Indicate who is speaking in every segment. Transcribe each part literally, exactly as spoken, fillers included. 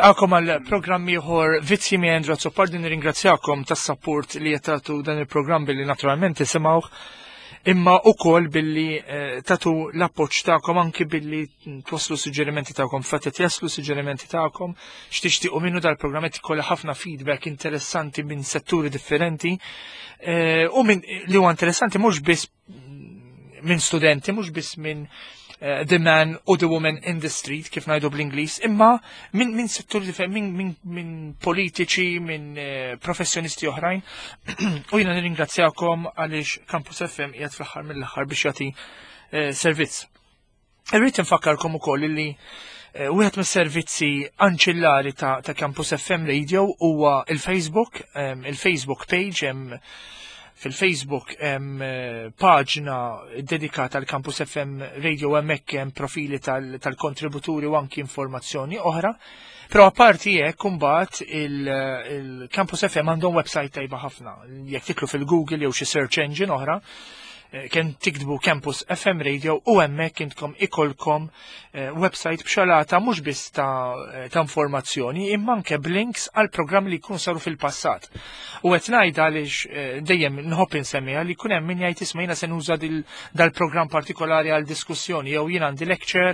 Speaker 1: Għakom għal programm ieħor Vizzji mi Andrew Azzopardi. Nirringrazzjakom tas-support li qed dan il-programm billi naturalment tisimgħuh, imma ukoll billi eh, tatu l-appoġġ tagħkom, anki billi twasslu suġġerimenti tagħkom, fatt qed jaslu suġġerimenti tagħkom x'tixtiequ minnu dal-programm. Qed ikollha ħafna feedback interessanti minn setturi differenti eh, u minn li huwa interessanti mhux biss minn studenti, mhux biss minn uh, the man u the woman in the street, kif ngħidu bl-Ingliż, imma minn min settur differenti, minn min, min politiċi, minn uh, professjonisti oħrajn. U jiena nirringrazzjakom għaliex Campus F M qiegħed fl-aħħar mill-aħħar biex jagħti uh, servizz. Irrid nfakkarkom ukoll li uh, wieħed mis-servizzi anċillari ta', ta Campus F M Radio huwa il-Facebook, um, il-Facebook page. Hemm fil-Facebook hemm eh, paġna dedikata għal Campus F M Radio, hemmhekk hemm profili tal-kontributuri u anki informazzjoni oħra. Però apparti hekk, imbagħad il-Campus F M għandhom website tajba ħafna. Jekk tidħlu fil-Google jew xi search engine oħra, eh, kien tiktbu Campus F M Radio u hemmhekk intkom ikolkom eh, website b'xalata mhux biss ta', eh, ta' informazzjoni, imma anke b'links għal programmi li jkunu saru fil-passat. U qed ngħid għaliex dejjem nħobb insemmiha li jkun hemm min jgħid, "Isma', jiena se nuża dal-programm partikolari għal diskussjoni" jew "Jien għandi lecture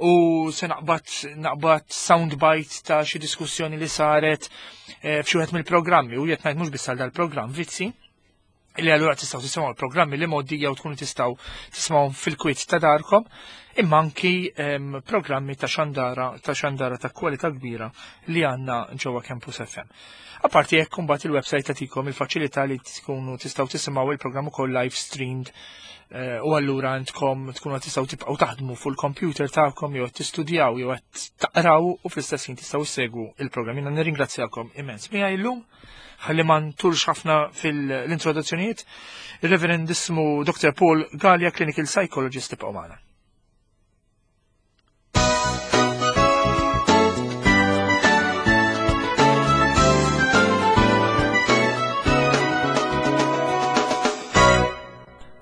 Speaker 1: u se naqbad naqbad soundbite ta' xi diskussjoni li saret f'xi wieħed mill-programmi", u qed ngħid mhux biss għal dal-programm Vizzi, li allura tistgħu tisimgħu l-programmi li modi jew tkunu tistgħu tisimgħu fil-kwiet ta' darkom, imma anki programmi ta' xandara ta' xandara ta' kwalità kbira li għandna ġewwa Campus F M. Apparti hekk, imbagħad il-website tagħtikom il-faċilità li tkunu tistgħu tisimgħu il-programm ukoll live streamed eh, u allura għandkom tkunu tistgħu tibqgħu taħdmu fuq il-computer tagħkom jew tistudjaw jew qed taqraw u fl-istess ħin tistgħu ssegwu il-programm. Jiena nirringrazzjakom immens. Miegħi llum, ħalli ma ntulx ħafna fil-introduzzjonijiet, il-Reverendissmu Doctor Paul Galea, Clinical Psychologist. Tibqgħu magħna.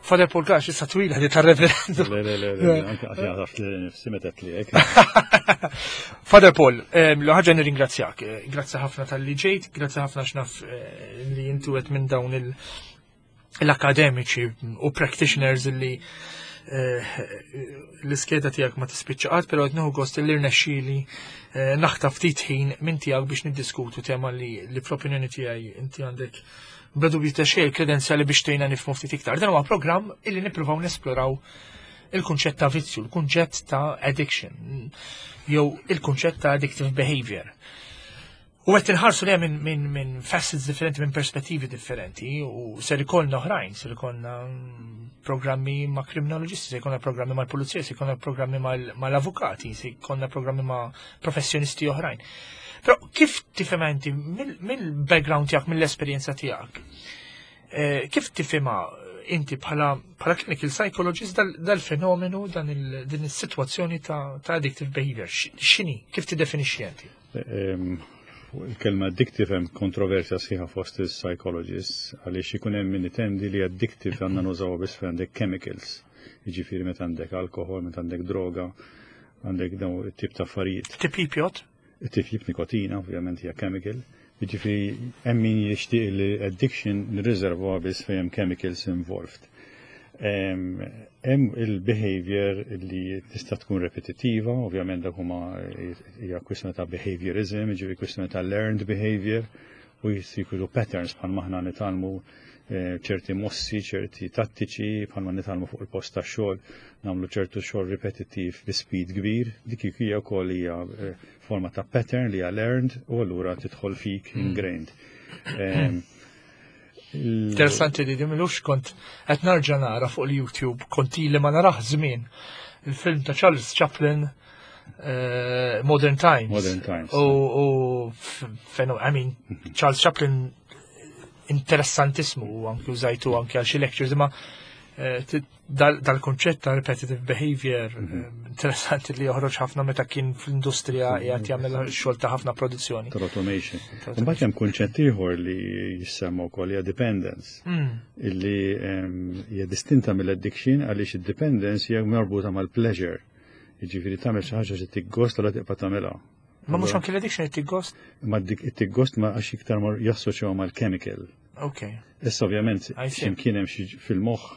Speaker 1: Father Paul Galea, issa twila di tar-reverend.
Speaker 2: Le, le, le, le, anke għax li nifsi metet li hekk.
Speaker 1: Father Paul, l-ħaġa nirringrazzjak. Eh, grazzi ħafna talli ġejt, grazzi ħafna x'naf eh, li intu qed minn dawn l-akademiċi u practitioners li eh, l-iskeda tiegħek ma tispiċċa qatt, però qed nieħu gost li rnexxieli naħtaf ftit ħin minn tiegħek biex niddiskutu tema li li fl-opinjoni tiegħi inti għandek bla dubju ta' xejn kredenzjali biex tgħinna nifhmu ftit iktar. Dan huwa programm illi nippruvaw nesploraw il-kunċett ta' vizzju, il-kunċett ta' addiction, jew il-kunċett ta' addictive behavior. U qed inħarsu li minn min, min facets differenti, minn perspettivi differenti, u ser ikollna oħrajn, ser ikollna programmi ma' kriminoloġisti, ser ikollna programmi mal pulizija, ser ikollna programmi mal-avukati, ser ikollna programmi ma' professjonisti oħrajn. Però kif tifhem inti mill-background tiegħek, mill-esperjenza tiegħek, eh, kif tifhimha inti bħala bħala clinical psychologist dal-fenomenu, dan din is-sitwazzjoni ta', ta addictive behavior? X'inhi? Kif tiddefinixxi inti?
Speaker 2: Il-kelma addictive hemm kontroversja sħiħa fost il-psychologists, għaliex ikun hemm min itendi li addictive għandna nużaw biss fejn għandek chemicals. Jiġifieri meta għandek alkohol, meta għandek droga, għandek dawn it-tip ta' affarijiet.
Speaker 1: Tipjip jgħodd?
Speaker 2: Tipjip, nikotina, ovvjament hija chemical. Jiġifieri hemm min jixtieq li addiction nirriservuha biss fejn hemm chemicals involved. Hemm il-behavior li tista' tkun repetitiva, ovvjament dak huma hija kwistjoni ta' behaviorism, jiġifieri kwistjoni ta' learned behavior, U jisiru patterns, bħal maħna nitgħallmu eh, ċerti mossi, ċerti tattiċi, bħalma nitgħallmu fuq il-post ta' xogħol, nagħmlu ċertu xogħol ripetittiv bi speed kbir, dik hija wkoll hija eh, forma ta' pattern li hija learned u allura tidħol fik, mm. ingrained. Em, il-
Speaker 1: Interessanti li dimilux kont qed narġa' nara fuq il-YouTube, kont ili ma narah żmien, il-film ta' Charles Chaplin, eh, Modern Times.
Speaker 2: Modern Times.
Speaker 1: U, u f- feno, I mean, Charles Chaplin interessantismu u anki użajtu anki għal xi lectures, imma eh, ti- dal- dal-konċett ta' repetitive behavior eh, interessanti li joħroġ ħafna meta kien fl-industrija qiegħed jagħmel xogħol ta' ħafna produzzjoni.
Speaker 2: Tal-automation. Imbagħad hemm kunċett ieħor li jissemma wkoll, hija dependence,
Speaker 1: Mm.
Speaker 2: illi em, hija distinta mill-addiction għaliex id-dependence hija marbuta mal-pleasure. Jiġifieri tagħmel xi ħaġa xi tiggost u la tibqa' tagħmilha.
Speaker 1: Ma mhux anki l-addiction qed gost?
Speaker 2: Ma dik it-gost ma għax iktar mar jassoċjaw mal-chemical.
Speaker 1: Ok.
Speaker 2: Issa ovvjament
Speaker 1: I see.
Speaker 2: x'imkien hemm xi fil-moħħ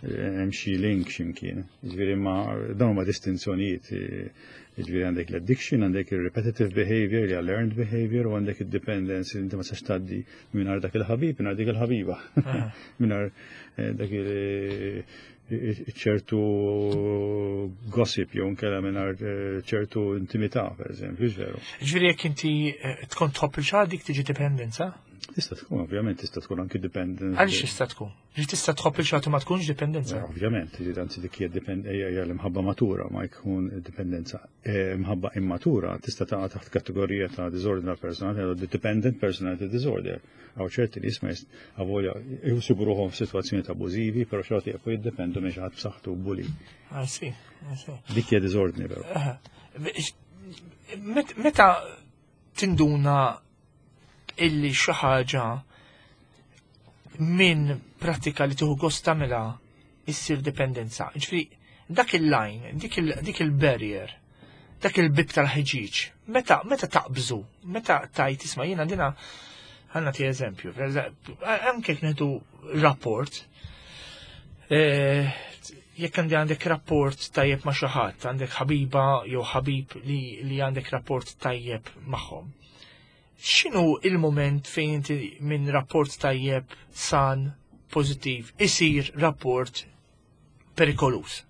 Speaker 2: eh, hemm xi link x'imkien. Jiġifieri ma dawn huma distinzjonijiet. eh, Jiġifieri għandek l-addiction, għandek il-repetitive behavior, li hija learned behavior, u għandek il-dependence li inti ma tistax tgħaddi mingħajr dak il-ħabib, mingħajr dik il-ħabiba. Mingħajr eh, dak il- ċertu gossip jew nkella mingħajr eh, ċertu intimità, per eżempju, veru.
Speaker 1: Ġifieri jekk inti eh, tkun tħobb il dik tiġi dipendenza?
Speaker 2: Tista' tkun, ovvjament, tista' tkun anki dependence.
Speaker 1: Għaliex tista' tkun? Ġi tista' tħobb il ma tkunx dipendenza?
Speaker 2: Eh, Ovvjament, ġi anzi dik hija depend- hija hija l-imħabba matura, ma jkun dipendenza. Eh, Imħabba immatura tista' taqa' taħt kategorija ta' disorder personality, dependent personality disorder. Għaw ċerti li jisma avolja jsibu ruħhom f'sitwazzjoni abużivi, però xorta jibqgħu jiddependu minn xi ħadd b'saħħtu bully.
Speaker 1: I see, I see.
Speaker 2: Dik hija disordni però.
Speaker 1: Aha. Met- Meta tinduna illi xi ħaġa minn pratika li tieħu gost tagħmilha issir dipendenza? Ġifieri dak il-line, dik il- dik il-barrier, dak il-bib tal-ħġiġ, meta meta taqbżu, meta tajt isma' jiena dina ħa nagħti eżempju, per eżempju, anke jekk nieħdu rapport, eh, jekk għandi għandek rapport tajjeb ma' xi ħadd, għandek ħabiba jew ħabib li, li għandek rapport tajjeb magħhom. X'inhu il-moment fejn inti minn rapport tajjeb, san, pożittiv, isir rapport perikolus?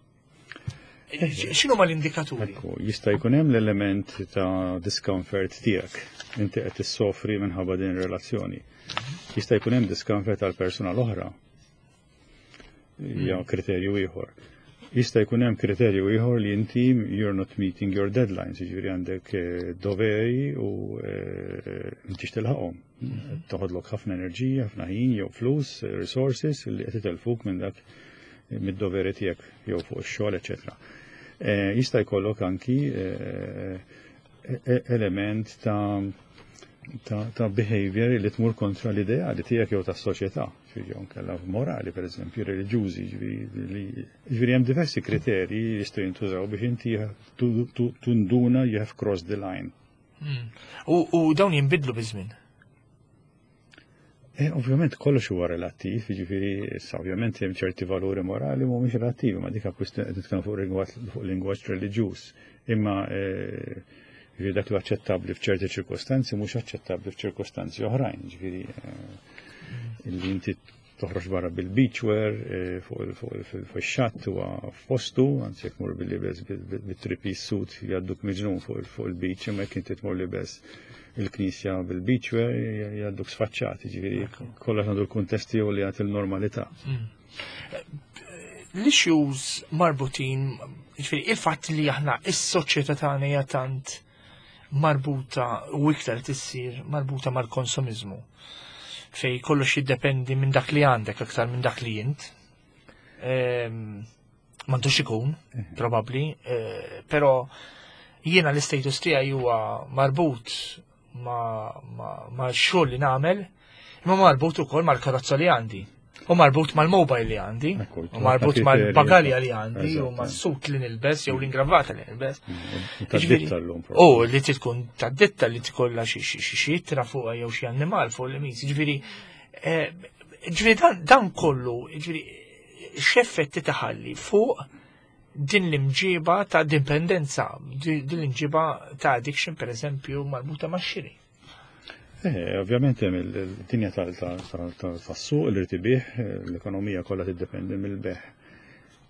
Speaker 1: X'inhu ma l-indikaturi?
Speaker 2: Ekku, jista' jkun hemm l-element ta' discomfort tiegħek. Inti qed tissofri minħabba din ir-relazzjoni. Jista' jkun hemm discomfort għal persuna l-oħra. Hija kriterju ieħor. Jista' jkun hemm kriterju ieħor li inti you're not meeting your deadlines, jiġifieri għandek eh, doveri u eh, m'intix tilħaqhom. Toħodlok ħafna enerġija, ħafna ħin jew flus, resources li qed itelfuk minn dak mid-doveri tiegħek jew fuq ix-xogħol, eċetera. Eh, Jista' jkollok anki eh, e- element ta' ta', ta' behavior li tmur kontra l-ideali tiegħek jew tas-soċjetà, jew nkella morali, per eżempju, reliġjużi, ġifieri ġifieri hemm diversi kriterji li jistgħu jintużaw biex inti tu- tu- tunduna you have crossed the line.
Speaker 1: Mm. U, u dawn jinbidlu biż-żmien.
Speaker 2: E, ovvjament kollox huwa relattiv, jiġifieri issa ovvjament hemm ċerti valuri morali mhumiex relattivi, ma dik kwistjoni qed nitkellmu fuq lingwaġġ fuq lingwaġġ reliġjuż. Imma eh, jiġifieri dak li aċċettabbli f'ċerti ċirkostanzi mhux aċċettabbli f'ċirkostanzi oħrajn, jiġifieri eh, illi inti toħroġ barra bil-beachwear eh, fuq il- fuq il- fuq ix-xatt huwa f'postu, anzi jekk tmur bil-libes bit-three-piece suit jgħadduk miġnun fuq il- fuq il-beach, imma jekk inti tmur libes il-knisja bil-beachwear jgħadduk sfaċċat, jiġifieri kollox għandu l-kuntesti u li għat il-normalità.
Speaker 1: L-issues marbutin, ġifieri il-fatt li aħna is-soċjetà tagħna hija tant marbuta u iktar tissir marbuta mal-konsumizmu, fej kollox jiddependi minn dak li għandek aktar minn dak li jint. Ehm, M'għandux ikun, probabbli, eh, però jiena l-status tiegħi huwa marbut ma, ma, ma xogħol li nagħmel, imma marbut ukoll mal-karozza li għandi. U marbut mal-mobile li għandi,
Speaker 2: Ekku,
Speaker 1: u marbut
Speaker 2: kriterji.
Speaker 1: mal-bagalja li għandi, u
Speaker 2: Eżatt.
Speaker 1: mas-suit li nilbes, jew l-ingravata li nilbes.
Speaker 2: Ta'
Speaker 1: Ġifieri-
Speaker 2: ditta l-lum.
Speaker 1: U li tkun ta' ditta li tkollha xi xi xi xi ittra fuqha jew xi annimal fuq l-imis. Ġifieri, eh, ġifieri dan, dan kollu, ġifieri x'effetti taħalli fuq din l-imġiba ta' dipendenza, di- din l-imġiba ta' addiction, per eżempju, marbuta ma' xiri?
Speaker 2: Eh, ovvjament hemm il-dinja tas-suq li rid ibigħ, l-ekonomija kollha tiddependi mill-bejgħ.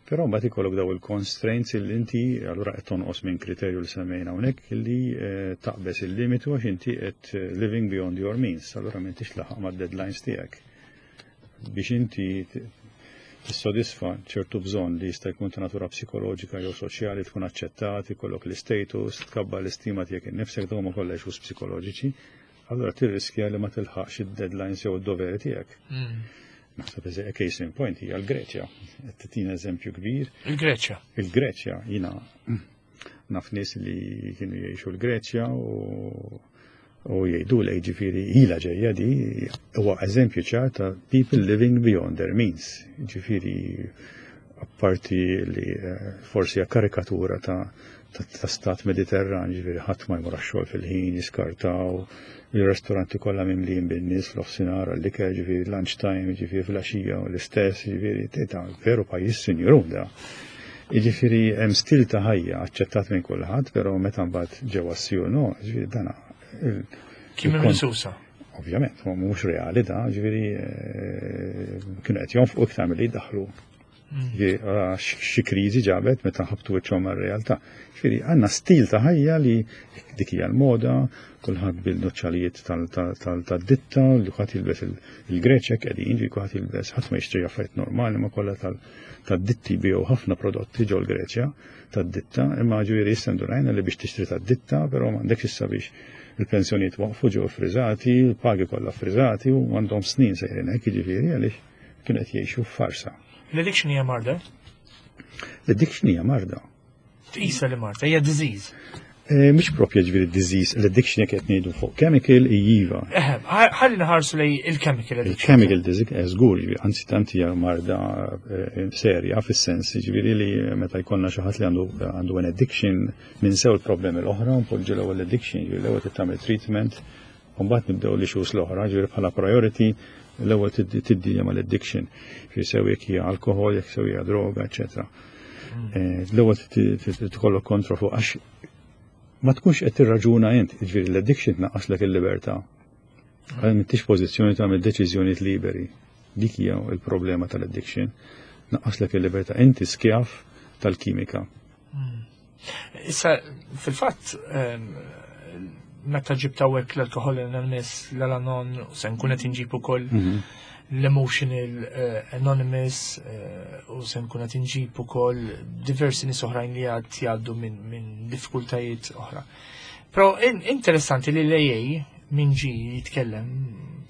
Speaker 2: Però mbagħad ikollok daw il-constraints li inti allura qed tonqos minn kriterju li semmejna hawnhekk li eh, taqbeż il-limitu għax inti qed living beyond your means, allura m'intix laħaq mad-deadlines tiegħek. Biex inti tissodisfa ċertu bżonn li jista' jkun ta' natura psikoloġika jew soċjali, tkun aċċettat, ikollok l-status, tkabbar l-istima tiegħek innifsek, dawn huma kollha issues psikoloġiċi, allura tirriskja li ma tilħaqx id-deadlines jew id-doveri tiegħek. Mm. Naħseb case in point hija l-Greċja. Qed titina eżempju kbir.
Speaker 1: Il-Greċja.
Speaker 2: Il-Greċja, jiena naf nies li kienu jgħixu l-Greċja u u jgħidu li ġifieri ila ġejja di huwa eżempju ċar ta' people living beyond their means. Ġifieri apparti li eh, forsi hija karikatura ta' ta' stat Mediterran, ġifieri ħadd ma jmur għax-xogħol fil-ħin, jiskartaw, il-ristoranti kollha mimlijin bin-nies fl-offsinar għall-ikel, ġifieri lunch time, ġifieri fil-għaxija u l-istess, ġifieri ta' veru pajjiż sinjurun da. Ġifieri hemm stil ta' ħajja aċċettat minn kulħadd, però meta mbagħad ġewwa s no, ġifieri dana.
Speaker 1: Kien minn susa.
Speaker 2: Ovvjament, ma mhux reali da, ġifieri eh, kienu qed jonfqu iktar milli jdaħħlu. Mm. Xi kriżi ġabet meta ħabtu wiċċhom mar-realtà. Ġifieri għandna stil ta' ħajja li dik hija l-moda, kulħadd bil-nuċċalijiet tad-ditta, li kulħadd jilbes il-Greċja qegħdin, ġifieri kulħadd jilbes, ħadd ma jixtri affarijiet normali, ma kollha tad-ditti biegħu ħafna prodotti ġol Greċja tad-ditta, imma ġifieri issa ndurajna li biex tixtri tad-ditta, però m'għandekx issa biex il-pensjonijiet waqfu, ġew friżati, il-pagi kollha friżati u għandhom snin sejrin hekk, jiġifieri għaliex kienu qed jgħixu f'farsa.
Speaker 1: L-addiction hija marda?
Speaker 2: L-addiction hija marda.
Speaker 1: Tqisha li marda, hija disease.
Speaker 2: Eh, mhix propja ġifieri disease, l-addiction jekk qed ngħidu fuq chemical iva.
Speaker 1: Ħalli nħarsu lej il-chemical addiction.
Speaker 2: Il-chemical disease, eh, żgur, ġifieri, anzi tant hija marda eh, serja fis-sens, ġifieri li meta jkollna xi ħadd li għandu għandu an addiction ninsew il-problemi l-oħra, npoġġu l-ewwel addiction, ġifieri l-ewwel tagħmel treatment, u mbagħad nibdew l-issues l-oħra, ġifieri bħala priority l-ewwel tiddi mal-addiction, ġifieri sew jekk hija alkohol, jekk sew hija droga, eċetera. Mm. L-ewwel tkollok kontroll fuq għax ma tkunx qed tirraġuna int, ġifieri l-addiction tnaqqaslek il-libertà. Għal m'intix pożizzjoni tagħmel deċiżjonijiet liberi. Dik hija l-problema tal-addiction. Naqqaslek il-libertà, inti skjav tal-kimika.
Speaker 1: Mm. Issa, fil-fatt, ehm, meta ġibt hawnhekk l-Alcohol Anonymous, l-Al-Anon, se nkun qed inġib ukoll
Speaker 2: mhm.
Speaker 1: l-Emotional eh, Anonymous eh, u se nkun qed inġib ukoll diversi nies oħrajn li għad jgħaddu minn diffikultajiet oħra. Però interessanti li l-A A min ġi jitkellem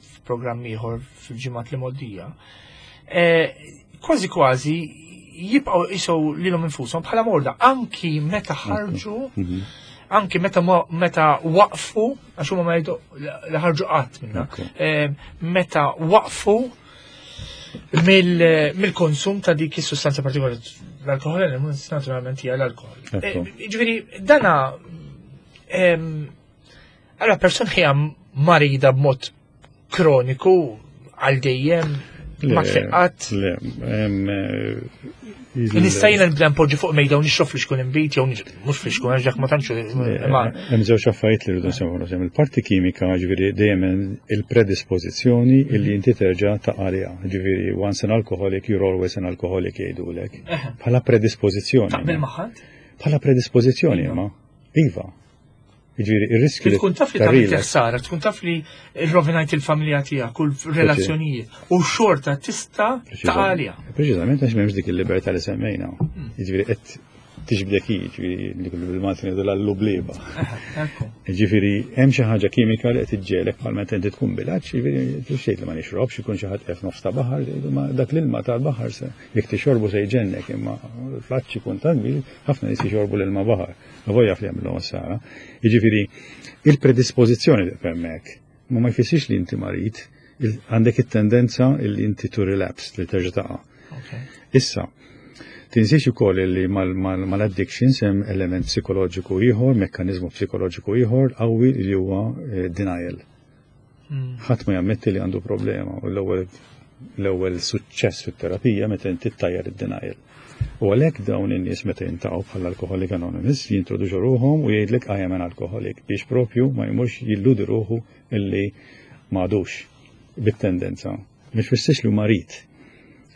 Speaker 1: f'programm ieħor fil-ġimgħat li moddija, eh, kważi kważi jibqgħu jqisu lilhom infushom bħala morda anki meta ħarġu
Speaker 2: mhm.
Speaker 1: anki meta meta waqfu, għax huma ma jgħidu li ħarġu qatt minna, meta waqfu mill-konsum ta' dik is-sustanza partikolari, l-alkohol, naturalment hija l-alkohol. Ġifieri dana allora persuna hija marida b'mod kroniku għal dejjem, ma tfiqqat.
Speaker 2: Le,
Speaker 1: Nista' jiena nibda npoġġi fuq mejda u nixrob flixkun inbid jew mhux flixkun għax dak ma tantx
Speaker 2: Hemm żewġ affarijiet li rridu nsemmu. Hemm il-parti kimika, ġifieri dejjem il-predispożizzjoni illi inti terġa' taqa' għaliha. Ġifieri once an alcoholic, you're always an alcoholic jgħidulek. Bħala predispożizzjoni.
Speaker 1: Taqbel magħha?
Speaker 2: Bħala predispożizzjoni ma. Iva. Ġifieri ir-riskju
Speaker 1: li tkun taf li tagħmel ħsara, tkun taf li rrovinajt il-familja tiegħek u l-relazzjonijiet u xorta tista' taqa' għaliha.
Speaker 2: Preċiżament għax m'hemmx dik il-libertà li semmejna. Hmm. Ġifieri qed tiġbdek hi, ġifieri li bil-Malti ngħidu l-lubliba. Ġifieri hemm xi ħaġa kimika li qed iġġegħlek bħal meta inti tkun bil-għatx, ġifieri xejn li ma nixrobx, ikun xi ħadd qed nofs ta' baħar, ma dak l-ilma tal-baħar se jekk tixorbu se jġennek, imma fl-għatx ikun tant ħafna nies jixorbu l-ilma baħar. Voja fli jagħmlu sara. Jiġifieri il-predispożizzjoni li hemmhekk, ma ma jfissirx li inti marid, għandek it-tendenza li inti to relapse, li terġa' taqa'. Issa, tinsiex ukoll li mal-addictions hemm element psikoloġiku ieħor, mekkaniżmu psikoloġiku ieħor qawwi li huwa eh, denial.
Speaker 1: Hmm.
Speaker 2: Ħadd ma jammetti li għandu problema u l-ewwel l-ewwel suċċess fit-terapija meta inti ttajjar id-denial. U għalhekk dawn in-nies meta jiltaqgħu bħala Alcoholic Anonymous jintroduċu ruħhom u jgħidlek "I am an alcoholic" biex propju ma jmurx jilludi ruħu illi m'għadux bit-tendenza. Mhux fissiex li marid,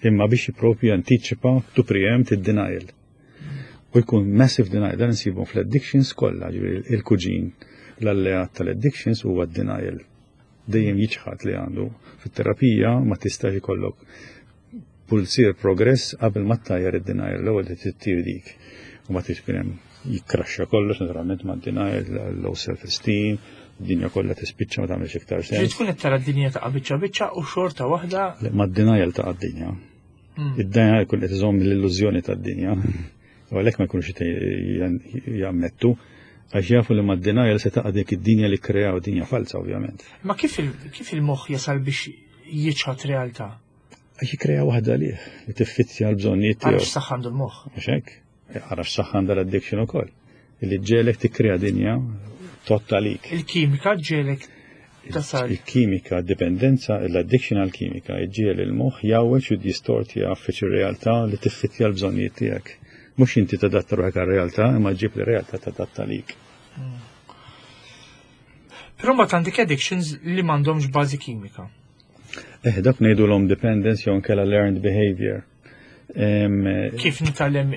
Speaker 2: imma biex propju jantiċipa, to preempt id-denial. U jkun massive denial, dan nsibu fl-addictions kollha, ġifieri il-kuġin, l-alleat tal-addictions huwa denial. Dejjem jiċħad li għandu. Fit-terapija ma tistax ikollok pulzier progress qabel ma ttajjar id-denial, l-ewwel li tittir dik. U ma tix hemm jikkraxxa kollox naturalment ma' denial, low self-esteem, id-dinja kollha tispiċċa, ma tagħmilx iktar
Speaker 1: Ġi
Speaker 2: sens.
Speaker 1: tkun qed tara d-dinja ta' biċċa biċċa u xorta waħda.
Speaker 2: Le, ma' denial ta' d-dinja.
Speaker 1: Mm.
Speaker 2: Id-denial jkun qed iżomm l-illużjoni tad-dinja. U għalhekk ma jkunux jammettu, għax jafu li ma' denial se taqa' dik id-dinja li kreaw, dinja falsa ovvjament.
Speaker 1: Ma kif il- kif il-moħħ jasal biex jiċħad realtà?
Speaker 2: Għax jikrea waħda lih li tiffittja l-bżonnijiet
Speaker 1: Għax
Speaker 2: tiegħu.
Speaker 1: saħħa għandu l-moħħ.
Speaker 2: Mhux hekk? Ara x'saħħa għandha l-addiction ukoll. Illi ġġiegħlek tikkrea dinja tottalik.
Speaker 1: Il-kimika ġġiegħlek tasal.
Speaker 2: Il-kimika, dipendenza, l-addiction għal-kimika, iġġiegħel il-moħħ jgħawweġ u distorti għaffiċ ir-realtà li tiffittja l-bżonnijiet tiegħek. Mhux inti tadatta ruħek għar-realtà, imma ġib li realtà tadatta lik.
Speaker 1: Però mbagħad għandek addictions li m'għandhomx bażi kimika.
Speaker 2: Eh, dak ngħidulhom dependence jew nkella learned behavior. Em,
Speaker 1: Kif nitgħallem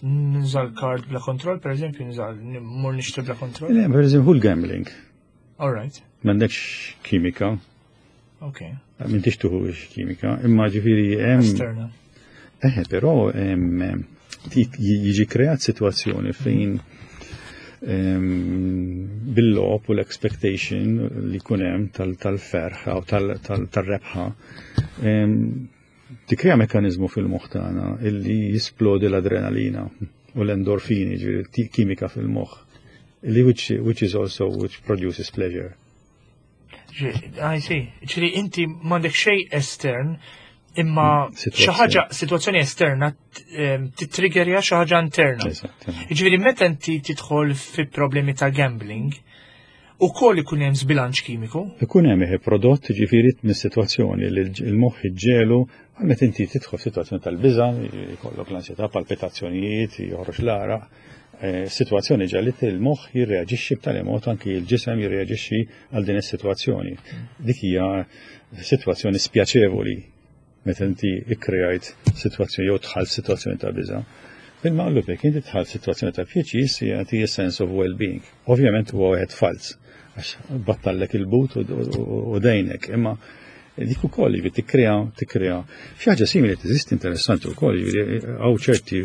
Speaker 1: nuża l-card bla kontroll, per eżempju, nuża mur nixtri bla kontroll?
Speaker 2: Le, per eżempju, l-gambling.
Speaker 1: All right,
Speaker 2: M'għandekx kimika,
Speaker 1: ok.
Speaker 2: m'intix tuħu kimika, imma ġifieri hemm
Speaker 1: Esterna.
Speaker 2: Eh, però em, ti- jiġi kreat situazzjoni fejn em, bil-logħob u l-expectation li jkun hemm tal-ferħ u tal-rebħa em, tikkrea mekanizmu fil-moħħ tagħna illi jisplodi l-adrenalina u l-endorfini, ġifieri ti- kimika fil-moħħ, illi which, which is also which produces pleasure.
Speaker 1: I see. Ġifieri inti m'għandek xejn estern, imma xi
Speaker 2: Situazzjoni.
Speaker 1: ħaġa, situazzjoni esterna t- titriggerja xi ħaġa interna.
Speaker 2: Eżatt.
Speaker 1: Ġifieri meta inti tidħol fi problemi ta' gambling, ukoll ikun hemm żbilanċ kimiku.
Speaker 2: Ikun hemm eħe prodott ġifieri mis-sitwazzjoni li l-moħħ iġġelu għal meta inti tidħol f'sitwazzjoni tal-biża', jkollok l-ansjetà, palpitazzjonijiet, joħroġ l-għaraq, eh, sitwazzjoni ġalit il-moħħ jirreaġixxi b'tali mod, anki l-ġisem jirreaġixxi għal din is-sitwazzjoni. Dik hija sitwazzjoni spjaċevoli meta inti ikkreajt sitwazzjoni jew dħalt sitwazzjoni ta' biża'. Bil-maqlub, jekk inti dħalt sitwazzjoni ta' pjaċir, jagħti sense of well-being. Ovvjament huwa wieħed fals għax battallek il-but u- u u dejnek, imma dik ukoll jiġifieri tikkrea tikkrea. Xi ħaġa simili teżisti interessanti wkoll, jiġifieri hawn ċerti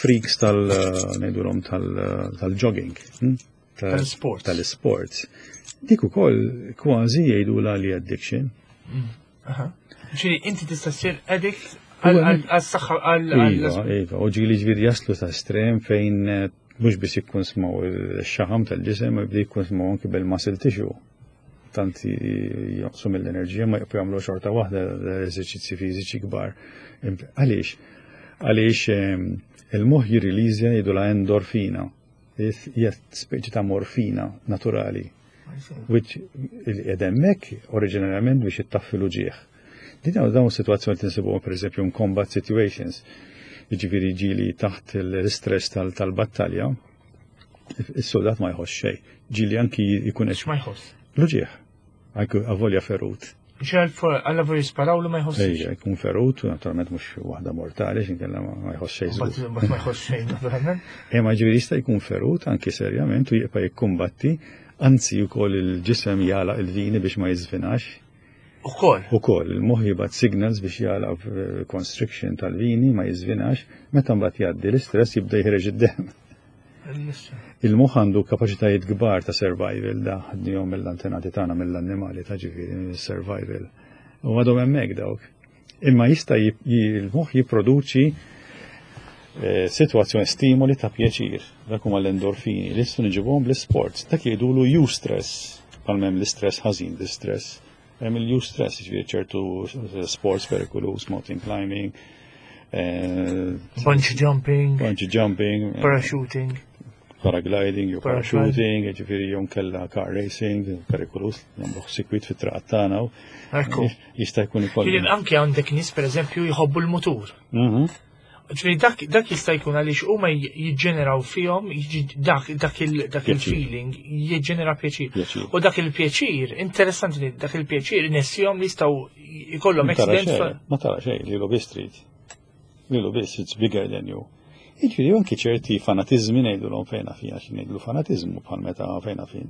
Speaker 2: freaks tal ngħidulhom tal-jogging, hm? Ta-
Speaker 1: Tal-sports.
Speaker 2: Tal-sports. Dik ukoll kważi jgħidulha li addiction.
Speaker 1: Aha. Ġifieri inti tista' ssir addict għal-saħħa għal
Speaker 2: Iva, iva, u ġieli ġifieri jaslu ta' estrem fejn eh, mhux biss jikkun smaw il-xaħam tal-ġisem, ma jibdi jikkun smaw anki bil-muscle tissue. Tant jonqsu mill-enerġija ma jibqgħu jagħmlu xorta waħda l-eżerċizzi fiżiċi kbar. Għaliex? Għaliex ehm, il-moħħ jirriliżja, jgħidulha endorfina. Hija speċi ta' morfina naturali which hemmhekk oriġinarjament biex ittaffi l-uġieħ. Din dawn dawn situazzjoni tinsibuhom per eżempju in combat situations. Jiġifieri ġieli taħt l-istress tal- tal-battalja, is-soldat ma jħoss xejn. Ġieli anki jkun
Speaker 1: X'ma jħoss?
Speaker 2: l-uġieħ, anki avolja ferut.
Speaker 1: Ġieli alla jisparawlu ma jħossx.
Speaker 2: Ejja, jkun ferut, naturalment mhux waħda mortali, x'inkella ma ma jħoss xejn żgur.
Speaker 1: Mbagħad ma jħoss xejn naturalment.
Speaker 2: Imma ġifieri jista' jkun ferut anki serjament u jibqa' jikkumbatti, anzi wkoll il-ġisem jagħlaq il-vini biex ma jiżvinax.
Speaker 1: Ukoll.
Speaker 2: Ukoll il-moħħ jibgħat signals biex jagħlaq eh, constriction tal-vini ma jiżvinax, meta mbagħad jgħaddi l-istress jibda jħreġ id-dem. Il-moħħ għandu kapaċitajiet kbar ta' survival, da ħadnihom mill-antenati tagħna, mill-annimali ta' ġifieri survival. U għadhom hemmhekk dawk. Imma jista' jib- il-moħħ jipproduċi eh, situazzjoni stimoli ta' pjaċir, dak huma l-endorfini, li jistgħu niġibuhom bl-sports, dak jgħidulu eustress, bħalma hemm l-istress ħażin, l-istress. Hemm il-eustress, ġifieri ċertu sports perikolus, mountain climbing, eh,
Speaker 1: Bungee jumping,
Speaker 2: bungee jumping, eh,
Speaker 1: parachuting.
Speaker 2: paragliding, jew
Speaker 1: Paragliding.
Speaker 2: parachuting, ġifieri jew kella car racing, perikolus, nagħmluh sikwit fit-traqat tagħna. u
Speaker 1: Ekku.
Speaker 2: Jista' jkun ikollu.
Speaker 1: Ġifieri anke għandek nies per eżempju jħobbu l-mutur.
Speaker 2: Mhm.
Speaker 1: Ġifieri dak dak jista' jkun għaliex huma jiġġeneraw fihom jiġi- dak dak il dak
Speaker 2: Pjaċir.
Speaker 1: il-feeling jiġġenera pjaċir.
Speaker 2: Pjaċir.
Speaker 1: U dak il-pjaċir, interessanti li dak il-pjaċir inessihom li jistgħu jkollhom
Speaker 2: Ma tara
Speaker 1: accident.
Speaker 2: xejn, ma tara xejn, li biss trid. Lilu biss, it's bigger than you. Jiġifieri anki ċerti fanatizmi ngħidulhom fejna fija xi ngħidlu fanatizmu bħal meta fejna fin.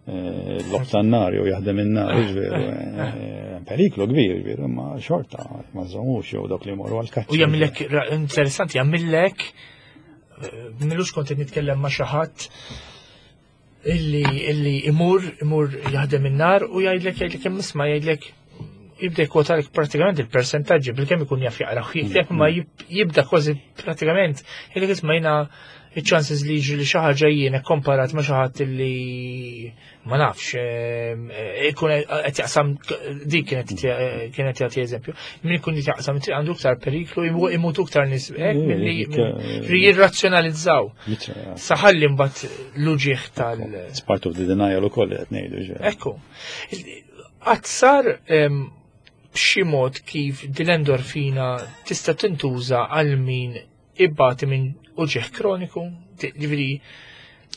Speaker 2: Eh, L-logħob tan-nar jew jaħdem in-nar, ġveru, eh, periklu kbir, veru, imma xorta ma żommux jew dawk li jmorru għal-kaċċa.
Speaker 1: U jagħmillek ra- interessanti, jagħmillek eh, m'ilux kont qed nitkellem ma' xi ħadd illi illi imur imur jaħdem in-nar u jgħidlek jgħidlek hemm isma' jgħidlek jibda jkwotalek pratikament il-persentaġġi bilkemm ikun jaf jaqra u jikteb ma jib- jibda kważi pratikament jgħidlek isma' jiena il-chances li jiġri li xi ħaġa jiena komparat ma' xi ħadd illi ma nafx eh, ikun qed jaqsam dik kienet kienet jagħti eżempju. Min ikun qed jaqsam triq għandu iktar periklu imu- imutu iktar nies hekk milli
Speaker 2: Dik, eh,
Speaker 1: jirrazzjonalizzaw.
Speaker 2: Jitra-
Speaker 1: Saħalli mbagħad l-uġieħ tal.
Speaker 2: It's part of the denial ukoll li qed ngħidu ġveru.
Speaker 1: Ekku. Qatt sar em, b'xi mod kif din l-endorfina tista' tintuża għal min ibati minn uġieħ kroniku, ġifieri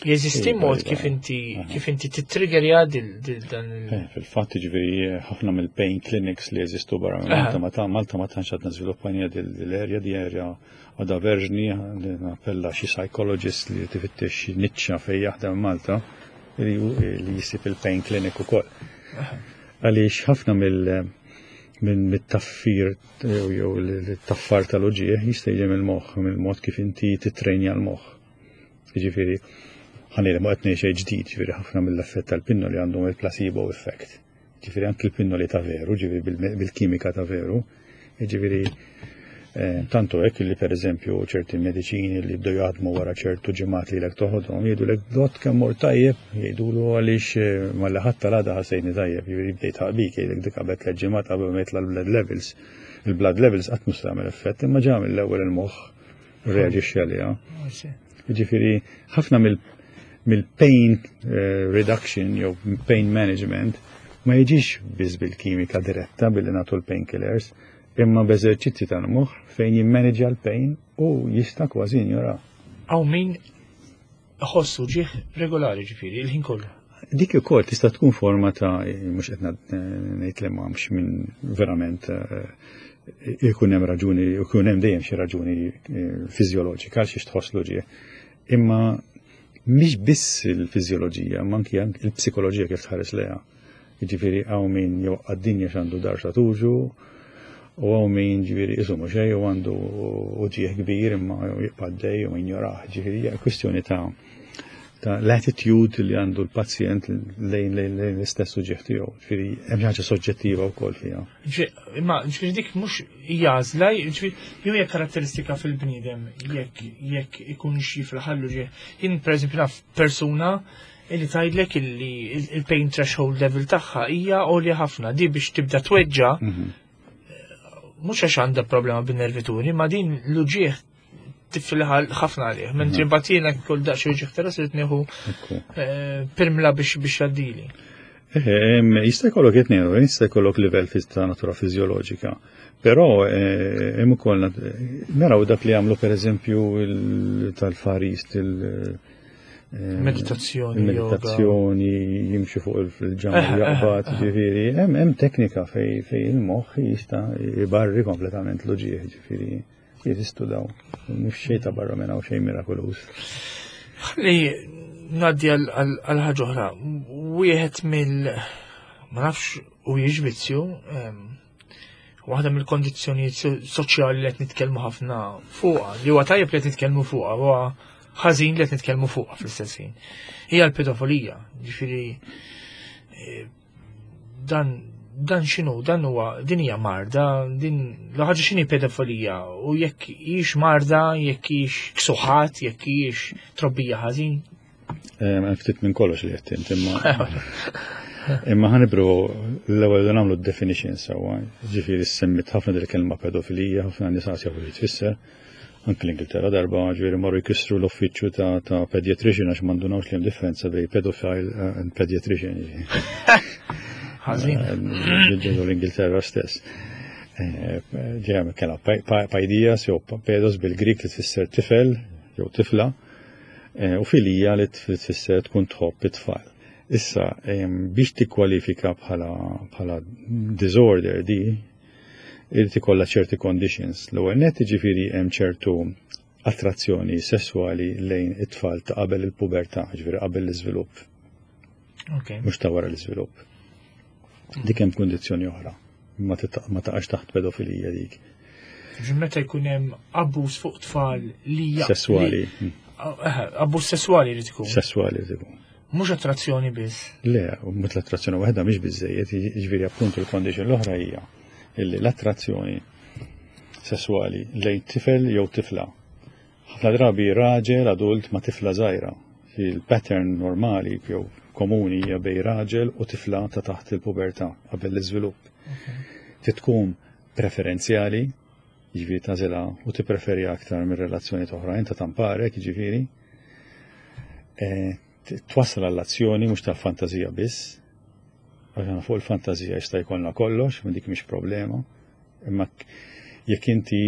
Speaker 1: jeżisti
Speaker 2: Iva,
Speaker 1: mod
Speaker 2: iva.
Speaker 1: kif inti
Speaker 2: Aha.
Speaker 1: kif inti titriggerja dil dil dan il
Speaker 2: Eh, Fil-fatt ġifieri ħafna mill-pain clinics li jeżistu barra minn
Speaker 1: Aha.
Speaker 2: Malta, ma ta' Malta ma tantx għadna żviluppajna dil-area, di area għadha verġni, li nappella xi psychologist li tifittex xi niċċa fejn jaħdem Malta li li jisib il-pain clinic ukoll. Għaliex ħafna mill minn mit-taffir jew jew l-taffar tal-uġieħ jista' jiġi mill-moħħ, mill-mod kif inti titrejnja l-moħħ. Jiġifieri, ħa ngħid ma qed ngħid xejn ġdid, ġifieri ħafna mill-effett tal-pinnoli għandhom il-placebo effect. Ġifieri anki l-pinnoli ta' veru, ġifieri bil- bil-kimika ta' veru, ġifieri eh, tantu hekk li pereżempju ċerti mediċini li bdew jaħdmu wara ċertu ġimgħat li lek toħodhom jgħidulek dott kemm mort tajjeb, jgħidulu għaliex eh, malli ħadt tal-għada ħassejtni tajjeb, jiġifieri bdejt ħaqbik, jgħidlek dik qabel tliet ġimgħat qabel ma jitla' l-blood levels. Il-blood levels qatt mhux tagħmel effett, imma ġa mill-ewwel il-moħħ reaġixxi għaliha. Ġifieri, ħafna mill- mill-pain eh, reduction jew pain management ma jiġix biss bil-kimika diretta billi nagħtu l-painkillers, imma b'eżerċizzi tal-moħħ fejn jimmanagja l-pain u jista' kważi jinjora.
Speaker 1: Hawn min iħossu uġigħ regolari ġifieri il-ħin kollu.
Speaker 2: Dik ukoll tista' tkun forma ta' mhux qed ngħid li m'hemmx minn verament eh, ikun hemm raġuni, ikun hemm dejjem xi raġuni eh, fiżjoloġika għal xiex tħoss l-uġigħ. Imma mhix biss il-fiżjoloġija, ma anki anki il-psikoloġija kif tħares lejha. Jiġifieri hawn min jew għad-dinja x'għandu darsa tuġu, u hawn min ġifieri isumu xejn u għandu uġigħ kbir imma jibqa' għaddej u jinjorah. Ġifieri hija kwistjoni ta' ta' l-attitude li għandu l-pazjent lejn lejn lejn l-istess uġigħ tiegħu. Ġifieri hemm xi ħaġa soġġettiva wkoll fiha.
Speaker 1: Ġi- Imma ġifieri dik mhux hija għażla, ġifieri jew hija karatteristika fil-bniedem jekk jekk ikun xi fil-ħallu ġie. Jien pereżempju naf persuna illi tgħidlek illi il-pain threshold level tagħha hija għolja ħafna di biex tibda tweġġa mhux għax għandha problema bin-nervituri, ma din l-uġieħ tifilħa ħafna għalih. Mentri mbagħad jiena kull daqs uġieħ ta' ras irid nieħu
Speaker 2: Ekku.
Speaker 1: eh, pirmla biex biex jgħaddili.
Speaker 2: Eh, em, Jista' jkollok it-tnejn, jista' jkollok livell fiż- ta' natura fiżjoloġika. Però eh, hemm ukoll nat- naraw dak li jagħmlu pereżempju il- tal-Far East il- eh,
Speaker 1: Meditazzjoni,
Speaker 2: il-meditazzjoni, jimxu fuq il-ġamma
Speaker 1: Eh, eh,
Speaker 2: jaqbad,
Speaker 1: eh.
Speaker 2: ġifieri, hemm hemm teknika fej fej il-moħħ jista' jbarri kompletament l-uġieħ, ġifieri jeżistu daw. Mhux xejn ta' barra minn hawn xejn mirakoluż.
Speaker 1: Ħalli ngħaddi għal għal ħaġa oħra. Wieħed mill ma nafx u vizzju, waħda mill-kondizzjonijiet so- soċjali li qed nitkellmu ħafna fuqha, li huwa tajjeb li qed nitkellmu fuqha, huwa ħażin li qed nitkellmu fuqha fl-istess ħin. Hija l-pedofilija, ġifieri eh, dan dan x'inhu, dan huwa din hija marda, din l-ħaġa x'inhi pedofilija u jekk hix marda, jekk hix ksuħat, jekk hix trobbija ħażin.
Speaker 2: Hemm ftit minn kollox li qed int imma imma ħa nibdew l-ewwel nagħmlu definition sewwa. Ġifieri semmit ħafna dil kelma pedofilija, ħafna nies jafu li tfisser. Anke l-Ingilterra darba ġifieri marru jkissru l-uffiċċju ta' ta' pediatrician għax m'għandunawx li hemm differenza bejn pedophile and pediatrician.
Speaker 1: Ħażin.
Speaker 2: Ġew l-Ingilterra stess. Ġeja kena paidias jew pedos bil-Grik li tfisser tifel jew tifla, u filija li tfisser tkun tħobb it-tfal. Issa, biex tikkwalifika bħala disorder di, irid ikollha ċerti conditions. L-ewwel nett, ġifieri, hemm ċertu attrazzjoni sessuali lejn it-tfal ta' qabel il-pubertà, ġifieri qabel l-iżvilupp. Mhux ta' wara l-iżvilupp. Dik hemm kundizzjoni oħra. Ma taqax taħt pedofilija dik.
Speaker 1: Meta jkun hemm abbuż fuq tfal li
Speaker 2: Sessuali.
Speaker 1: Abbuż sessuali li tkun.
Speaker 2: Sessuali li tkun.
Speaker 1: Mhux attrazzjoni biss.
Speaker 2: Le, mhux l-attrazzjoni waħda mhix biżejjed, jiġifieri appuntu l-condition l-oħra hija illi l-attrazzjoni sessuali lejn tifel jew tifla. Ħafna drabi raġel adult ma' tifla żgħira. Il-pattern normali jew komuni hija bejn raġel u tifla ta' taħt il-pubertà qabel l-iżvilupp. Tkun preferenzjali, jiġifieri tagħżilha u tippreferi aktar minn relazzjoni oħrajn ta' tamparek, jiġifieri. E, twassal għall-azzjoni, mhux tal-fantazija biss. Għax fuq il-fantazija jista' jkollna kollox, ma dik mhix problema. Imma jekk inti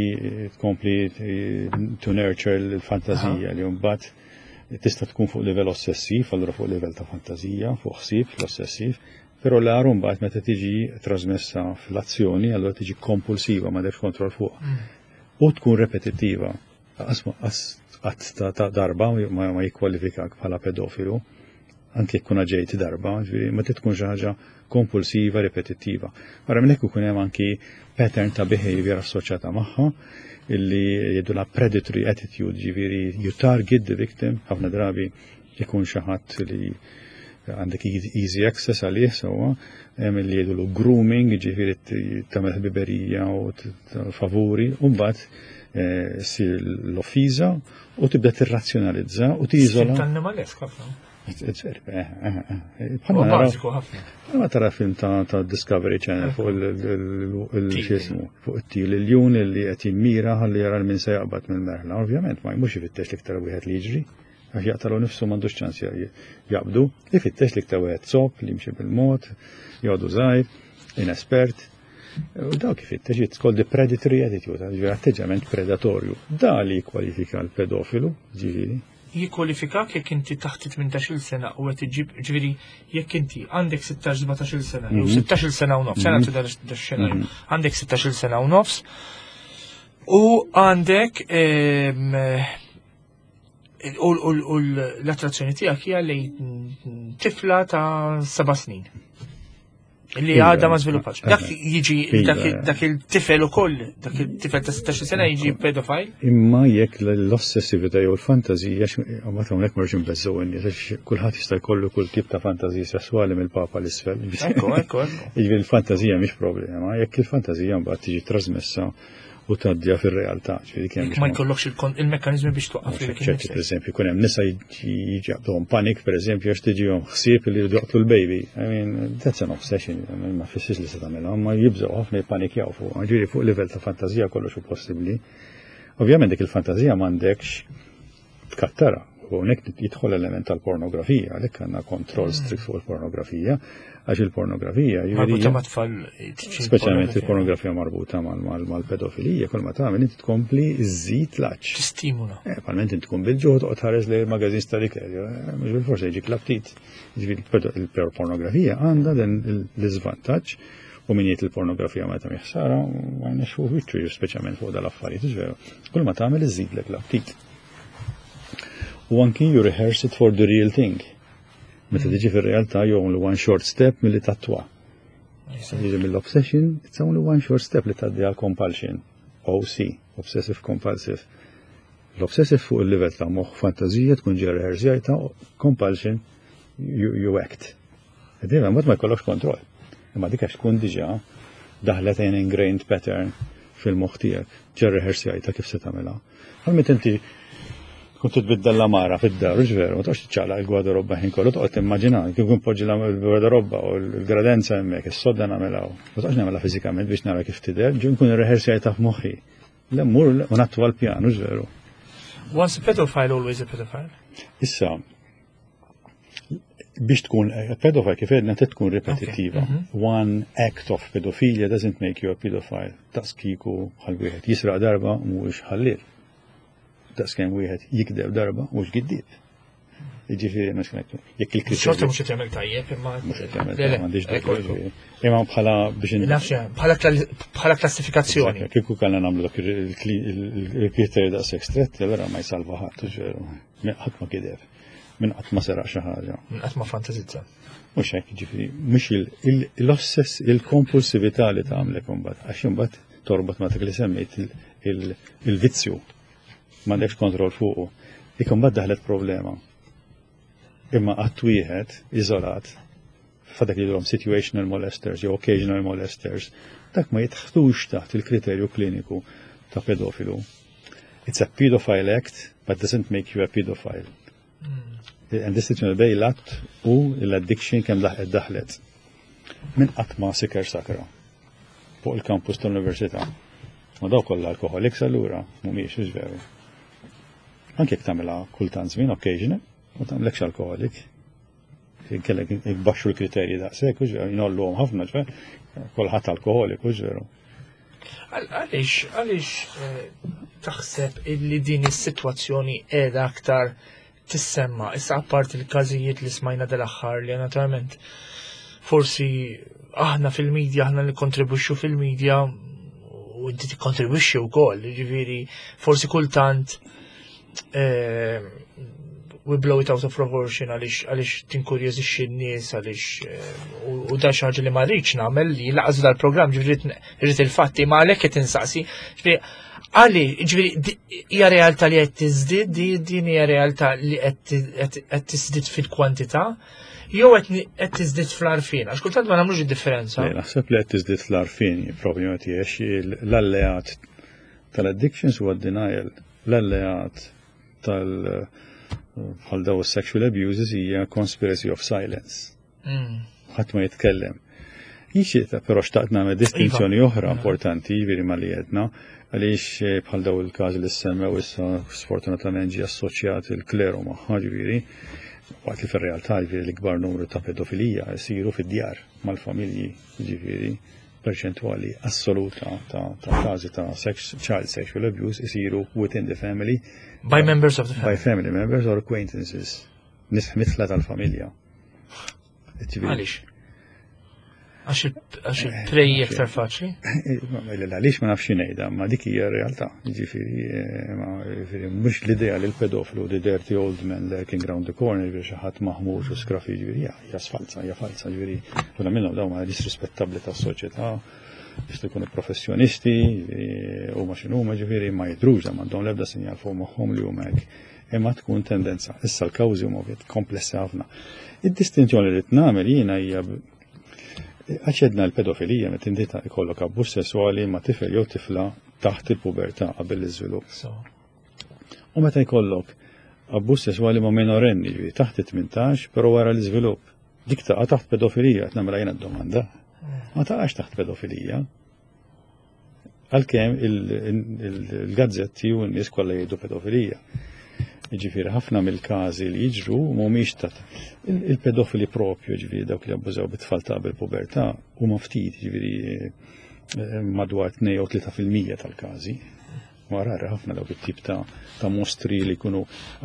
Speaker 2: tkompli to nurture l-fantazija li mbagħad tista' tkun fuq livell ossessiv, allura fuq livell ta' fantazija, fuq ħsieb l-ossessiv, però l-agħar mbagħad meta tiġi trasmessa fl-azzjoni, allura tiġi kompulsiva, ma kontroll fuq. Mm. U tkun repetittiva. Qatt ta' darba ma jikkwalifikak bħala pedofilu, anke jekk ġejt darba, ma tkun xi ħaġa kompulsiva, repetittiva. Barra minn hekk ikun hemm anki pattern ta' behavior assoċjata magħha illi jgħidulha predatory attitude, ġifieri you target the victim, ħafna drabi ikun xi ħadd li għandek easy access għalih sewwa, hemm li jgħidulu grooming, ġifieri tagħmel ħbiberija u favuri, u mbagħad eh, ssir l-offiża u tibda tirrazzjonalizza u tiżola.
Speaker 1: Tal-animalesk ħafna.
Speaker 2: It's very, eh, eh, eh.
Speaker 1: Bħalma bażiku ħafna.
Speaker 2: Bħalma tara film ta' ta' Discovery Channel fuq il-xismu, fuq it-til il-jun li qed jimmira ħalli jara min se jaqbad mill-merħla. Ovvjament ma jmux ifittex l-iktar wieħed li jiġri, għax jaqtalu nifsu, m'għandux ċans jaqbdu, ifittex l-iktar wieħed sop li jimxi bil-mod, jgħodu żgħir, inespert. U dawk ifittex, it's called the predatory attitude, ġifieri atteġġament predatorju. Da li jikkwalifika l-pedofilu, ġifieri.
Speaker 1: Jikkwalifikak jekk inti taħt tmintax-il sena u qed iġib, ġifieri jekk inti għandek sittax sbatax-il sena, jew sittax-il sena u nofs, sena tibda xenarju, għandek sittax-il sena u nofs u għandek em, u u- u l-attrazzjoni tiegħek hija lejn tifla ta' seba' snin li
Speaker 2: Iva,
Speaker 1: għadha ma żviluppax. Dak jiġi
Speaker 2: Iva.
Speaker 1: dak dak il-tifel ukoll, dak il-tifel ta' sittax-il sena jiġi pedofile?
Speaker 2: Imma jekk l-ossessività jew l-fantazija, għamat hawnhekk marġ nbeżżgħu n-nies, għax kulħadd jista' jkollu kull tip ta' fantazija sessuali mill-papa l-isfel.
Speaker 1: Ekku, ekku, ekku.
Speaker 2: Jiġifieri l-fantazija mhix problema, jekk il-fantazija mbagħad tiġi trasmessa u tgħaddija fir-realtà. Ġifieri kemm
Speaker 1: Jekk ma jkollokx il-kon- il-mekkanizmi biex twaqqaf lilek
Speaker 2: ċerti, per
Speaker 1: innifsek.
Speaker 2: eżempju, kun hemm nisa jiġi jaqbduhom panic, per eżempju, għax tiġihom ħsieb li jridu joqtlu l-baby. I mean, that's an obsession, I mean, ma fissirx li se tagħmilha, ma jibżgħu ħafna, jippanikjaw fuq. Ġifieri fuq livell ta' fantazija kollox hu possibbli. Ovvjament dik il-fantazija m'għandekx tkattara. U hawnhekk jidħol element tal-pornografija, għalhekk għandna kontroll strict fuq il-pornografija, għax il-pornografija
Speaker 1: Marbuta
Speaker 2: jiġifieri
Speaker 1: ma' tfal.
Speaker 2: Speċjalment il-pornografija marbuta mal-pedofilija, kull ma tagħmel inti tkompli żżid l-għatx.
Speaker 1: Tistimula.
Speaker 2: Eh, Palment inti tkun bil-ġuħ, toqgħod tħares lejn il-magazin tal-ikel, eh, mhux bil-forsi jiġik l-aptit. Ġifieri il-pornografija għandha dan l-iżvantaġġ u min jgħid il-pornografija ma tagħmel ħsara, ma jnexxu wiċċu, speċjalment fuq dal-affarijiet, veru. Kull ma tagħmel iżidlek l-aptit. U anki you rehearse it for the real thing. Meta tiġi fir-realtà, you only one short step milli tattwa. Jiġi mill-obsession, it's only one short step li tgħaddi għal compulsion. O C, obsessive compulsive. L-obsessive fuq il-level ta' moħ fantazija tkun ġa rehearsjajta, compulsion, you, you act. Dejjem mod ma jkollokx kontroll. Imma dik għax tkun diġà daħlet an ingrained pattern fil-moħħ tiegħek, ġa rehearsjajta kif se tagħmilha. Għal meta inti tkun titbiddel l-għamara fid-dar, u veru, ma toqgħodx tiċċaqlaq il-gwardarobba ħin kollu, toqgħod timmaġina, kif kun poġġi l-gwardarobba u l-gradenza hemmhekk, is-sodda nagħmilha. Ma toqgħodx nagħmilha fiżikament biex nara kif tidher, ġu nkun irrehearsjajta f'moħħi. Le mmur u nattu għal-pjan, u veru.
Speaker 1: Once a pedophile, always a pedophile.
Speaker 2: Issa, Biex tkun pedophile, kif għedna, tkun ripetittiva.
Speaker 1: Mhm.
Speaker 2: One act of pedophilia doesn't make you a pedophile. Daqs kieku bħal wieħed jisraq darba, mhuwiex ħalliel. Daqs kemm wieħed jikdeb darba, mhux giddieb. Jiġifieri mhux jekk il
Speaker 1: Xorta mhux qed jagħmel tajjeb, imma.
Speaker 2: Mhux qed jagħmel
Speaker 1: Le, le,
Speaker 2: m'għandix
Speaker 1: ekku,
Speaker 2: dubju, ġifieri. Imma bħala biex in-
Speaker 1: Nafx, bħala kla- bħala klassifikazzjoni.
Speaker 2: Kieku kellna nagħmlu dak il-kriterju daqshekk stretti, allura ma jsalva ħadd, ġveru. Ħadd ma kideb. Min qatt ma seraq xi ħaġa.
Speaker 1: Qatt ma fantazizza.
Speaker 2: Mhux hekk, ġifieri, mhux l-ossess, il-kompulsività li tagħmlek imbagħad, għax imbagħad torbot ma dak li semmejt il-vizzju, m'għandekx kontroll fuqu. Dik imbagħad daħlet problema. Imma qatt wieħed iżolat f'dak li jgħidulhom situational molesters jew occasional molesters, dak ma jidħlux taħt il-kriterju kliniku ta' pedofilu. It's a pedophile act, but doesn't make you a pedophile. And distinzjoni bejn l-att u l-addiction kemm laħqet daħlet. Min qatt ma siker sakra fuq il-kampus tal-università. Ma daw kollha alcoholics allura, mhumiex, hux veru? Anke jekk tagħmilha kultant żmien, occasional, ma tagħmlekx alcoholic. Kellek jbaxxu l-kriterji daqshekk, hux veru, jnolluhom ħafna, ġver, kulħadd alkoholiku, hux veru?
Speaker 1: Għaliex, għaliex eh, taħseb illi din is-sitwazzjoni qiegħda aktar tissemma, issa apart il-każijiet li smajna dal-aħħar li naturalment forsi aħna fil-medja, aħna li kontribwixxu fil-medja u inti tikkontribwixxi wkoll, ġifieri forsi kultant eh, we blow it out of proportion għaliex għaliex tinkurjożixxi n-nies, għaliex eh, u u da xi ħaġa li ma rridx nagħmel li laqas dal-programm, ġifieri rrid il-fatti, ma għalhekk qed insaqsi. Ġifieri għali, ġifieri di- hija realtà li qed tiżdied, di- din hija realtà li qed qed- qed tiżdied fil-kwantità jew qed ni- qed tiżdied fl-għarfien, għax kultant ma nagħmlux id-differenza.
Speaker 2: Le, naħseb li qed tiżdied fl-għarfien problema tiegħek. L-alleat tal-addictions huwa denial. L-alleat tal- bħal daw sexual abuses hija conspiracy of silence.
Speaker 1: Mm.
Speaker 2: Ħadd ma jitkellem. Jixi, però xtaqt nagħmel distinzjoni
Speaker 1: Iva.
Speaker 2: oħra importanti, jiġifieri ma li għedna, għaliex eh, bħal daw il-każi li semmew issa sfortunatament ġie assoċjat il-kleru magħha, ġifieri, waqt li fir-realtà, ġifieri, l-ikbar numru ta' pedofilija jsiru fid-djar mal-familji, ġifieri perċentwali assoluta ta' ta' każi ta' sex, child sexual abuse isiru within the family.
Speaker 1: By members of the
Speaker 2: by
Speaker 1: family.
Speaker 2: Family members or acquaintances, nies mitla tal-familja. Ġifieri-
Speaker 1: Għaliex? Għax il- għax il-prey iktar faċli?
Speaker 2: Għaliex ma nafx ngħidha, ma dik hija r-realtà. Ġifieri, eh, ma ġifieri mhux l-idea li l-pedofilu, the dirty old man lurking round the corner, ġifieri xi ħadd maħmuġ u scruffy, ġifieri hija hija falsa, hija falsa, ġifieri ħafna minnhom dawn ma nies rispettabbli tas-soċjetà, jistgħu jkunu professjonisti, ġifieri, huma x'inhuma, ġifieri ma jidhrux, m'għandhom l-ebda sinjal fuq moħħhom li huma hekk. Imma tkun tendenza. Issa l-kawżi huma ovvjament komplessi ħafna. Id-distinzjoni li nagħmel jiena hija għax għedna l-pedofilija meta inti ta' ikollok abbuż sessuali ma' tifel jew tifla taħt il-pubertà, qabel l-iżvilupp.
Speaker 1: So.
Speaker 2: U meta jkollok abbuż sessuali ma' minorenni, ġifieri taħt it-tmintax, però wara l-iżvilupp. Dik taqa' taħt pedofilija, qed nagħmilha jiena d-domanda. Ma taqax taħt pedofilija. Għalkemm il-gazzetti u n-nies kollha jgħidu pedofilija. Ġifieri ħafna mill-każi li jiġru mhumiex ta' il-pedofili propju, ġifieri dawk li abbużaw bit-tfal ta' qabel pubertà, huma ftit, ġifieri eh, madwar tnejn jew tlieta fil-mija tal-każi. Ma rari ħafna dawk it-tip ta' ta' mostri li jkunu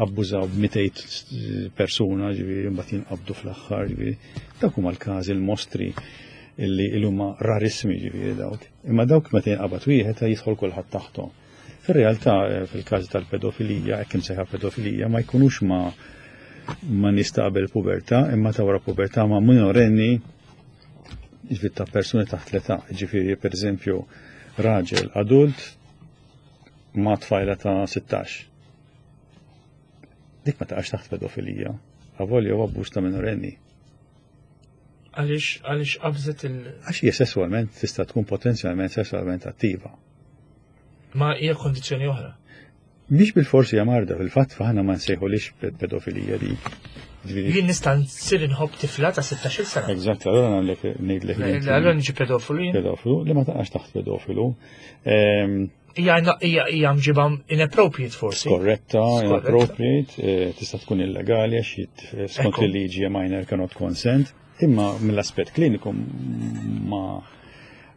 Speaker 2: abbużaw b'mitejn persuna, ġifieri mbagħad jinqabdu fl-aħħar, ġifieri dawk huma l-każi l-mostri illi huma rarissimi, ġifieri dawk. Imma dawk meta jinqabad wieħed jidħol kulħadd taħthom. Fir-realtà, eh, fil-każi tal-pedofilija, hekk imsejħa pedofilija, ma jkunux ma ma nies ta' qabel pubertà, imma ta' wara pubertà, ma' minorenni, ġifieri ta' persuni taħt l-età, ġifieri per eżempju raġel adult ma' tfajla ta' sittax. Dik ma taqax taħt pedofilija, avolja u abbuż ta' minorenni.
Speaker 1: Għaliex għaliex qabżet il-
Speaker 2: Għax hija sessualment, tista' tkun potenzjalment sessualment attiva.
Speaker 1: Ma hija kondizzjoni oħra.
Speaker 2: Mhix bil-forsi hija marda, fil-fatt aħna ma nsejħulix pedofilija di. Ġifieri-
Speaker 1: Jien nista' nsir inħobb tifla ta' sittax-il sena.
Speaker 2: Eżatt, allora nagħmlek ngħidlek li inti
Speaker 1: Allora niġi pedofilu jien.
Speaker 2: Pedofilu, li ma taqax taħt pedofilu. Ehm,
Speaker 1: Hija hija mġiba inappropriate forsi.
Speaker 2: Korretta, inappropriate, eh, tista' tkun illegali għax skont il-liġi a minor cannot consent, imma mill-aspett kliniku ma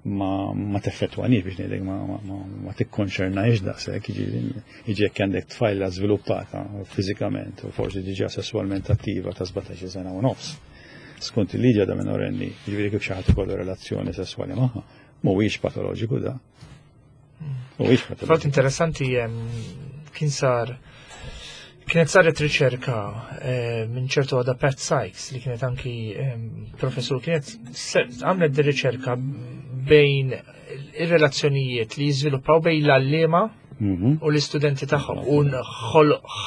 Speaker 2: ma ma teffettwanix, biex ngħidlek, ma ma ma, ma tikkonċernajx daqshekk, jiġifieri jiġi jekk għandek tfajla żviluppata fiżikament u forsi diġà sesswalment attiva ta' sbatax-il sena u nofs. Skont il-liġi da minorenni, jiġifieri kif xi ħadd ikollu relazzjoni sesswali magħha, mhuwiex patoloġiku da.
Speaker 1: Mhuwiex patoloġiku. Fatt interessanti, kien sar kienet saret riċerka eh, minn ċertu għada Pat Sykes, li kienet anki professur, kienet għamlet di riċerka bejn ir-relazzjonijiet li jiżviluppaw bejn l-għalliema mhm. u l-istudenti tagħhom u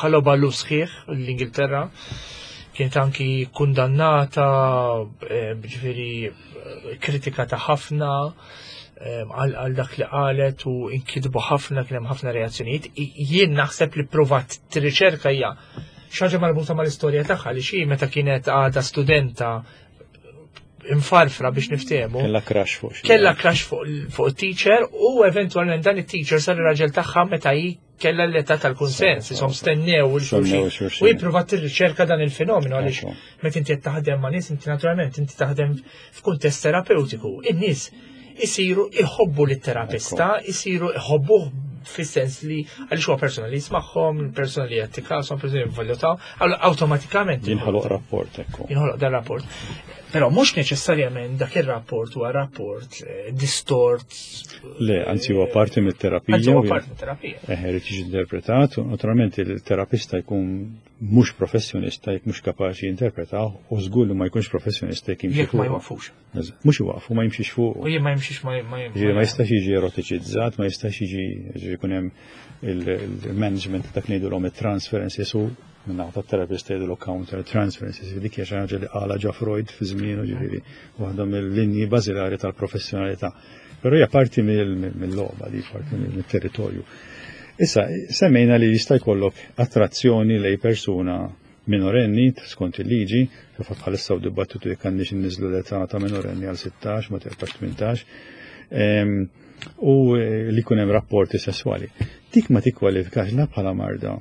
Speaker 1: ħaloba sħiħ l-Ingilterra, kienet anki kundannata, eh, ġifieri kritikata ħafna għal dak li qalet u inkitbu ħafna, kien hemm ħafna reazzjonijiet. Jien naħseb li provat tirriċerka hija xi ħaġa marbuta mal-istorja tagħha, li xi meta kienet għadha studenta infarfra, biex niftehmu.
Speaker 2: Kella crush fuq.
Speaker 1: Kella crush fuq teacher u eventualment dan it-teacher sar ir-raġel tagħha meta hi kella l-età tal-kunsens, isom stennew il-xulxin. U jipprovat tirriċerka dan il-fenomenu għaliex meta inti qed taħdem ma' nies, inti naturalment inti taħdem f'kuntest terapeutiku. In-nies isiru iħobbu lit-terapista, isiru iħobbuh fis-sens li għaliex huwa persona li jismagħhom, persona li jagħti kasom, persona li jivvalutaw, awtomatikament.
Speaker 2: Jinħoloq rapport, ekku.
Speaker 1: Jinħoloq dan rapport. Però mhux neċessarjament dak ir-rapport huwa rapport eh, distort.
Speaker 2: Le, anzi huwa parti mit-terapija.
Speaker 1: Anzi huwa parti mit-terapija.
Speaker 2: Eh, irid jiġi interpretat, u naturalment il-terapista jkun mhux professjonista jekk mhux kapaċi jinterpretaw, u żgur li ma jkunx professjonista jekk jimxi
Speaker 1: Jekk ma jwaqfux.
Speaker 2: Mhux iwaqfu, ma jimxix fuq.
Speaker 1: U jien ma jimxix ma
Speaker 2: ma Ma jistax jiġi erotiċizzat, ma jistax jiġi, jkun hemm il-management dak ngħidulhom it-transferences u minna ta' terapista jgħidu counter transferences, dik hija xi ħaġa li qala ġa Freud fi żmienu, ġifieri waħda mill-linji bażilari tal-professjonalità. Però hija parti mill-logħba di, parti mill-territorju. Issa, semmejna li jista' jkollok attrazzjoni lej persuna minorenni skont il-liġi, fil-fatt bħalissa u dibattitu jekk għandniex inniżlu l-età ta' minorenni għal sittax, ma tibqax tmintax, u li jkun hemm rapporti sesswali. Dik ma tikkwalifikax la bħala marda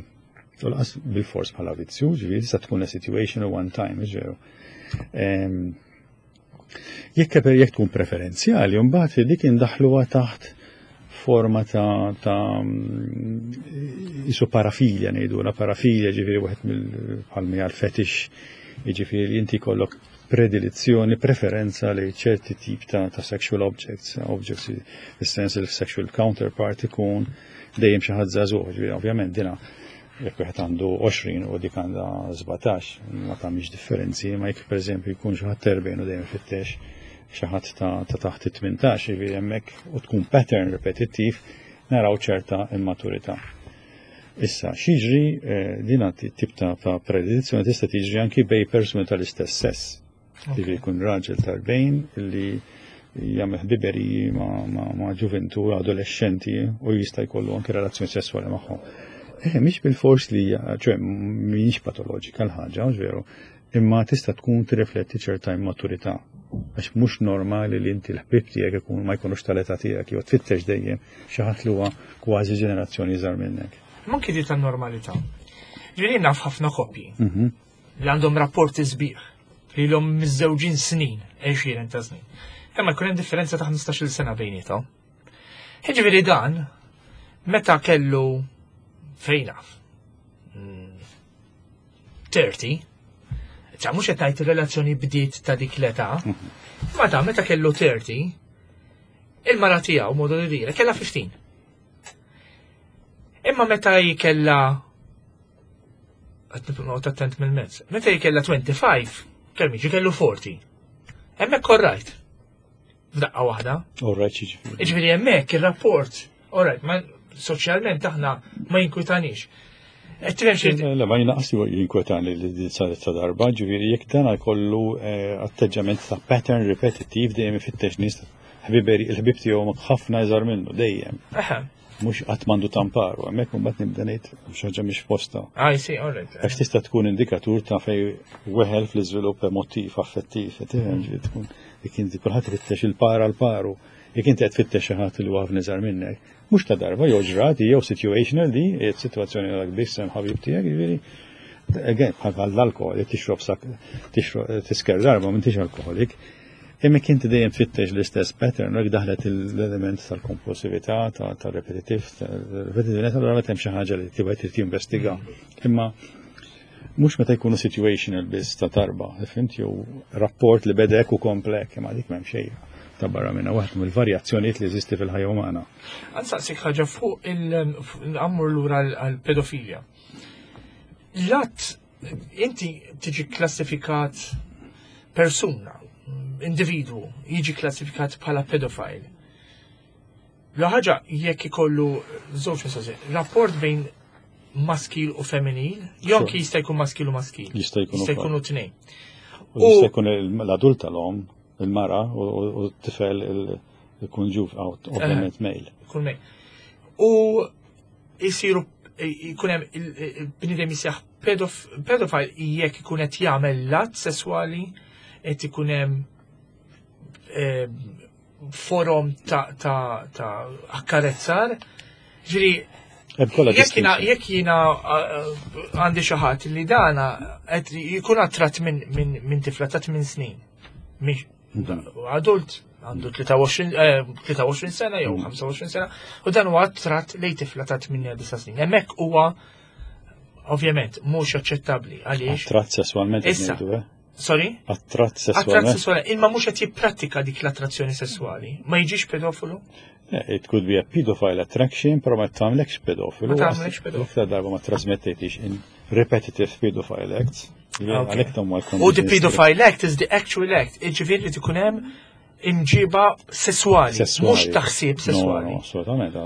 Speaker 2: u lanqas bil-fors bħala vizzju, ġifieri tista' tkun a situation one time, ġew. Jekk jekk tkun preferenzjali, mbagħad dik indaħluha taħt forma ta' ta' isu parafilja ngħidu, la parafilja, ġifieri wieħed mill-bħalmi għal fetish, jiġifieri inti jkollok predilizzjoni, preferenza li ċerti tip ta', ta' sexual objects, objects fis-sens il sexual counterpart ikun dejjem xi ħadd żagħżugħ, ġifieri ovvjament dina jekk wieħed għandu għoxrin u dik għandha sbatax, ma tagħmilx differenzi, ma jekk pereżempju jkun xi ħadd erbgħin u dejjem fittex xi ħadd ta' taħt it-tmintax, jiġifieri hemmhekk u tkun pattern repetittiv, naraw ċerta immaturità. Issa, x'jiġri, eh, din tip ta' predilezzjoni tista' tiġri anki bej persuni tal-istess sess. Jiġifieri jkun raġel ta' erbgħin li jagħmel ħbiberiji ma', ma, ma ġuventu adolescenti u jista' jkollu anki relazzjoni sessuali magħhom. Eh, mhix bil-fors li, ċoè, mhix patoloġika l-ħaġa, veru, imma tista' tkun tirrifletti ċerta immaturità. Għax mhux normali li inti l-ħbib tiegħek ikun ma jkunux tal-età tiegħek jew tfittex dejjem xi ħadd li huwa kważi ġenerazzjoni iżgħar minnek.
Speaker 1: Manki di tan-normalità. Ġifieri naf ħafna koppji mhm. li għandhom rapporti sbieħ li l miżżewġin snin, għexieren ta' snin. Imma jkun hemm differenza ta' ħmistax-il sena bejniethom. Ġifieri dan, meta kellu fejn naf, tletin, ċa mhux qed ngħid ir-relazzjoni bdiet ta' dik l-età, ma ta' meta kellu tletin, il-mara tiegħu, modo di dire, kella ħmistax. Imma meta kella, qed noqgħod attent mill-mezz, meta kella twenty-five, kemm jiġi kellu erbgħin. Hemmhekk alright. F'daqqa waħda.
Speaker 2: Alright ġifieri.
Speaker 1: Ġifieri hemmhekk ir-rapport, alright, ma soċjalment aħna ma jinkwitanix.
Speaker 2: Le, ma jinaqas jinkwetani li din saret ta' darba, ġifieri jekk dan jkollu eh, atteġġament ta' pattern repetitiv, dejjem ifittex nies ħbiberi, il-ħbib tiegħu ħafna iżgħar minnu dejjem. Mhux qatt m'għandu tamparu, hemmhekk imbagħad nibda ngħid xi ħaġa mhix posta.
Speaker 1: I see, all right.
Speaker 2: Għax tista' tkun indikatur ta' fej weħel fl-iżvilupp emotiv, affettiv, tifhem, ġifieri tkun dik inti kulħadd ifittex il-para l-paru. Jekk inti qed tfittex xi ħadd li huwa ħafna iżgħar minnek, mhux ta' darba jew ġrati jew situational di, sitwazzjoni għal biss hemm ħabib tiegħek, jiġifieri again, bħal l-alkohol, jekk tixrob sak, tixrob tisker darba m'intix alkoholik. Imma inti dejjem tfittex l-istess pattern, u daħlet l-element tal-kompulsività, ta' repetitiv, repetitività, allura hemm xi ħaġa li tibgħet trid tinvestiga. Imma mhux meta jkunu situational biss ta' darba, fimt, jew rapport li bedek u komplek, imma dik m'hemm xejn ta' barra minna waħda mill-varjazzjonijiet li jeżisti fil-ħajja umana.
Speaker 1: Ħa nsaqsik ħaġa fuq il-ammur lura għal-pedofilja. L-att, inti tiġi klassifikat persuna, individu, jiġi klassifikat bħala pedofile. La ħaġa jekk ikollu żewġ mistoqsijiet, rapport bejn maskil u femminil, jew
Speaker 2: Sure.
Speaker 1: jista' jkun maskil u maskil.
Speaker 2: Jista' jkun
Speaker 1: Jista'
Speaker 2: ukoll.
Speaker 1: jkunu tnejn.
Speaker 2: U jista' jkun l-adult tal-om, il-mara, u u t-tifel ikun ġuf, ovvjament male.
Speaker 1: Jkun male. U jisiru jkun hemm il-bniedem jisjaħ pedofile jekk ikun qed jagħmel lat sesswali, qed ikun hemm eh, forom ta' ta' ta' akkarezzar. Ġifieri,
Speaker 2: Hemm kollha
Speaker 1: jekk jiena
Speaker 2: distinction.
Speaker 1: jekk jiena uh, għandi xi ħadd li dana qed jkun attratt minn min, min tifla ta' tmien snin. Mhix adult għandu tlieta u għoxrin eh, tlieta u għoxrin sena jew ħamsa u għoxrin sena u dan huwa attratt lejn tifla ta' tmien disa' snin. Hemmhekk huwa ovvjament mhux aċċettabbli għaliex.
Speaker 2: Attratt sessualment qed
Speaker 1: Issa.
Speaker 2: ngħidu, eh?
Speaker 1: Sorry?
Speaker 2: Attratt
Speaker 1: Attratt
Speaker 2: sessualment.
Speaker 1: sessuali, imma mhux qed jipprattika dik l-attrazzjoni sessuali. Ma jiġix pedofulu?
Speaker 2: Yeah, it could be a pedophile attraction, però ma tagħmlekx pedofilu.
Speaker 1: Ma tagħmlekx pedofilu.
Speaker 2: Iktar darba ma trasmettetix in repetitive pedophile acts. Għalhekk tam
Speaker 1: U the pedophile act is the actual act. Iġifieri li tkun hemm imġiba sessuali, mhux taħsib sessuali.
Speaker 2: No, no, assolutament.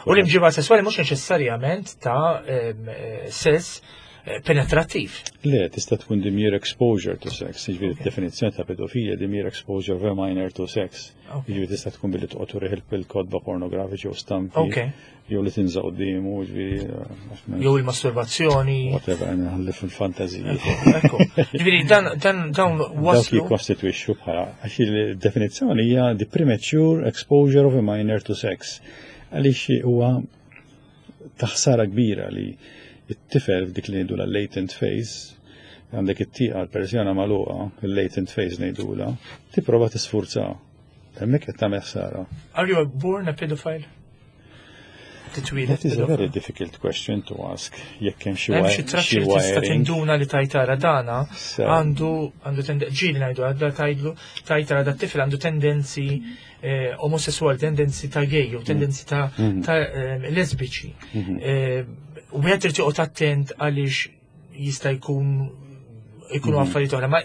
Speaker 1: U l-imġiba sessuali mhux neċessarjament ta' em, eh, sess eh, penetrattiv.
Speaker 2: Le, tista' tkun the mere exposure to sex. Jiġifieri definizzjoni ta' pedofilja, the mere exposure of a minor to sex.
Speaker 1: Ok.
Speaker 2: Jiġifieri tista' tkun billi toqgħod turih il-kotba pornografiċi u stampi.
Speaker 1: Ok.
Speaker 2: Jew li tinża' quddiemu, jiġifieri eh,
Speaker 1: Jew il-masturbazzjoni.
Speaker 2: Whatever, nħalli fil-fantaziji.
Speaker 1: Ekku. Ġifieri dan dan dawn
Speaker 2: Dawk
Speaker 1: waslu.
Speaker 2: jikkostitwixxu bħala, għax il-definizzjoni hija the premature exposure of a minor to sex. Għaliex huwa taħsara kbira li it-tifel f'dik li ngħidu latent phase, għandek it-tieqa l-persjana magħluqa, il-latent phase ngħidula, tipprova tisfurza. Hemmhekk qed tagħmel ħsara.
Speaker 1: Are you born a pedophile? Titwieled
Speaker 2: That is a very
Speaker 1: pedophile?
Speaker 2: difficult question to ask. Jekk hemm xi
Speaker 1: Hemm xi
Speaker 2: wi-
Speaker 1: traċċi
Speaker 2: xi
Speaker 1: li tista'
Speaker 2: wiring.
Speaker 1: tinduna li tajtara dana
Speaker 2: So-
Speaker 1: għandu għandu tendenzi, ġieli ngħidu għadda tajdlu tajtara da tifel għandu tendenzi eh, omosessuali, tendenzi ta' gay u tendenzi ta' ta' eh, lesbiċi. Eh, U wieħed irid joqgħod attent għaliex jista' jkun ikunu affarijiet oħra, ma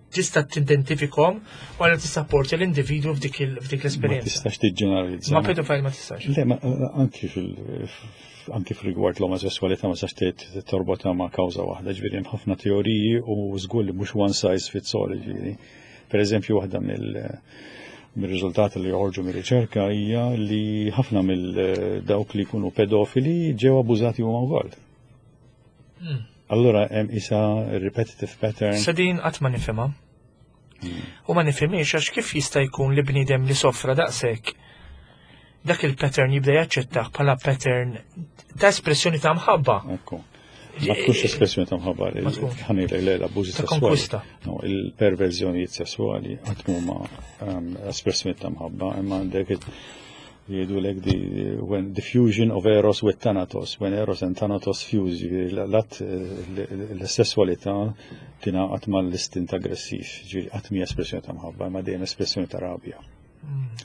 Speaker 1: tista' tidentifikhom u għalhekk tissapporti l-individwu f'dik il- f'dik
Speaker 2: Ma
Speaker 1: l-esperjenza.
Speaker 2: tistax tiġġeneralizza.
Speaker 1: Ma pedofile ma tistax.
Speaker 2: Le, ma anki fil anki fil-rigward l-omosessualità ma tistax t- torbotha ma' kawża waħda, ġifieri hemm ħafna teoriji u żgur li mhux one size fits all, ġifieri. Per eżempju, waħda mill mir-riżultati li joħorġu mir-riċerka hija li ħafna mill dawk li jkunu pedofili ġew abbużati huma wkoll. Allura hemm isa repetitive pattern.
Speaker 1: Sa din qatt ma nifhimha. U ma nifhimiex għax kif jista' jkun li bniedem li sofra daqshekk dak il-pattern jibda jaċċettah bħala pattern ta' espressjoni ta' mħabba.
Speaker 2: Ekku. Ma tkunx espressjoni ta' mħabba
Speaker 1: Ma tkunx.
Speaker 2: ħanilek le l-abbużi
Speaker 1: Ta'
Speaker 2: sessuali.
Speaker 1: konkwista.
Speaker 2: No, il-perverżjonijiet sessuali qatt huma um, espressjoni ta' mħabba, imma għandek it- jgħidu lek di when the fusion of Eros with Thanatos, when Eros and Thanatos fuse, ġifieri l-att l-sessualità tingħaqad mal-istint aggressiv, ġifieri qatt mhi espressjoni ta' mħabba, imma dejjem espressjoni ta' rabja.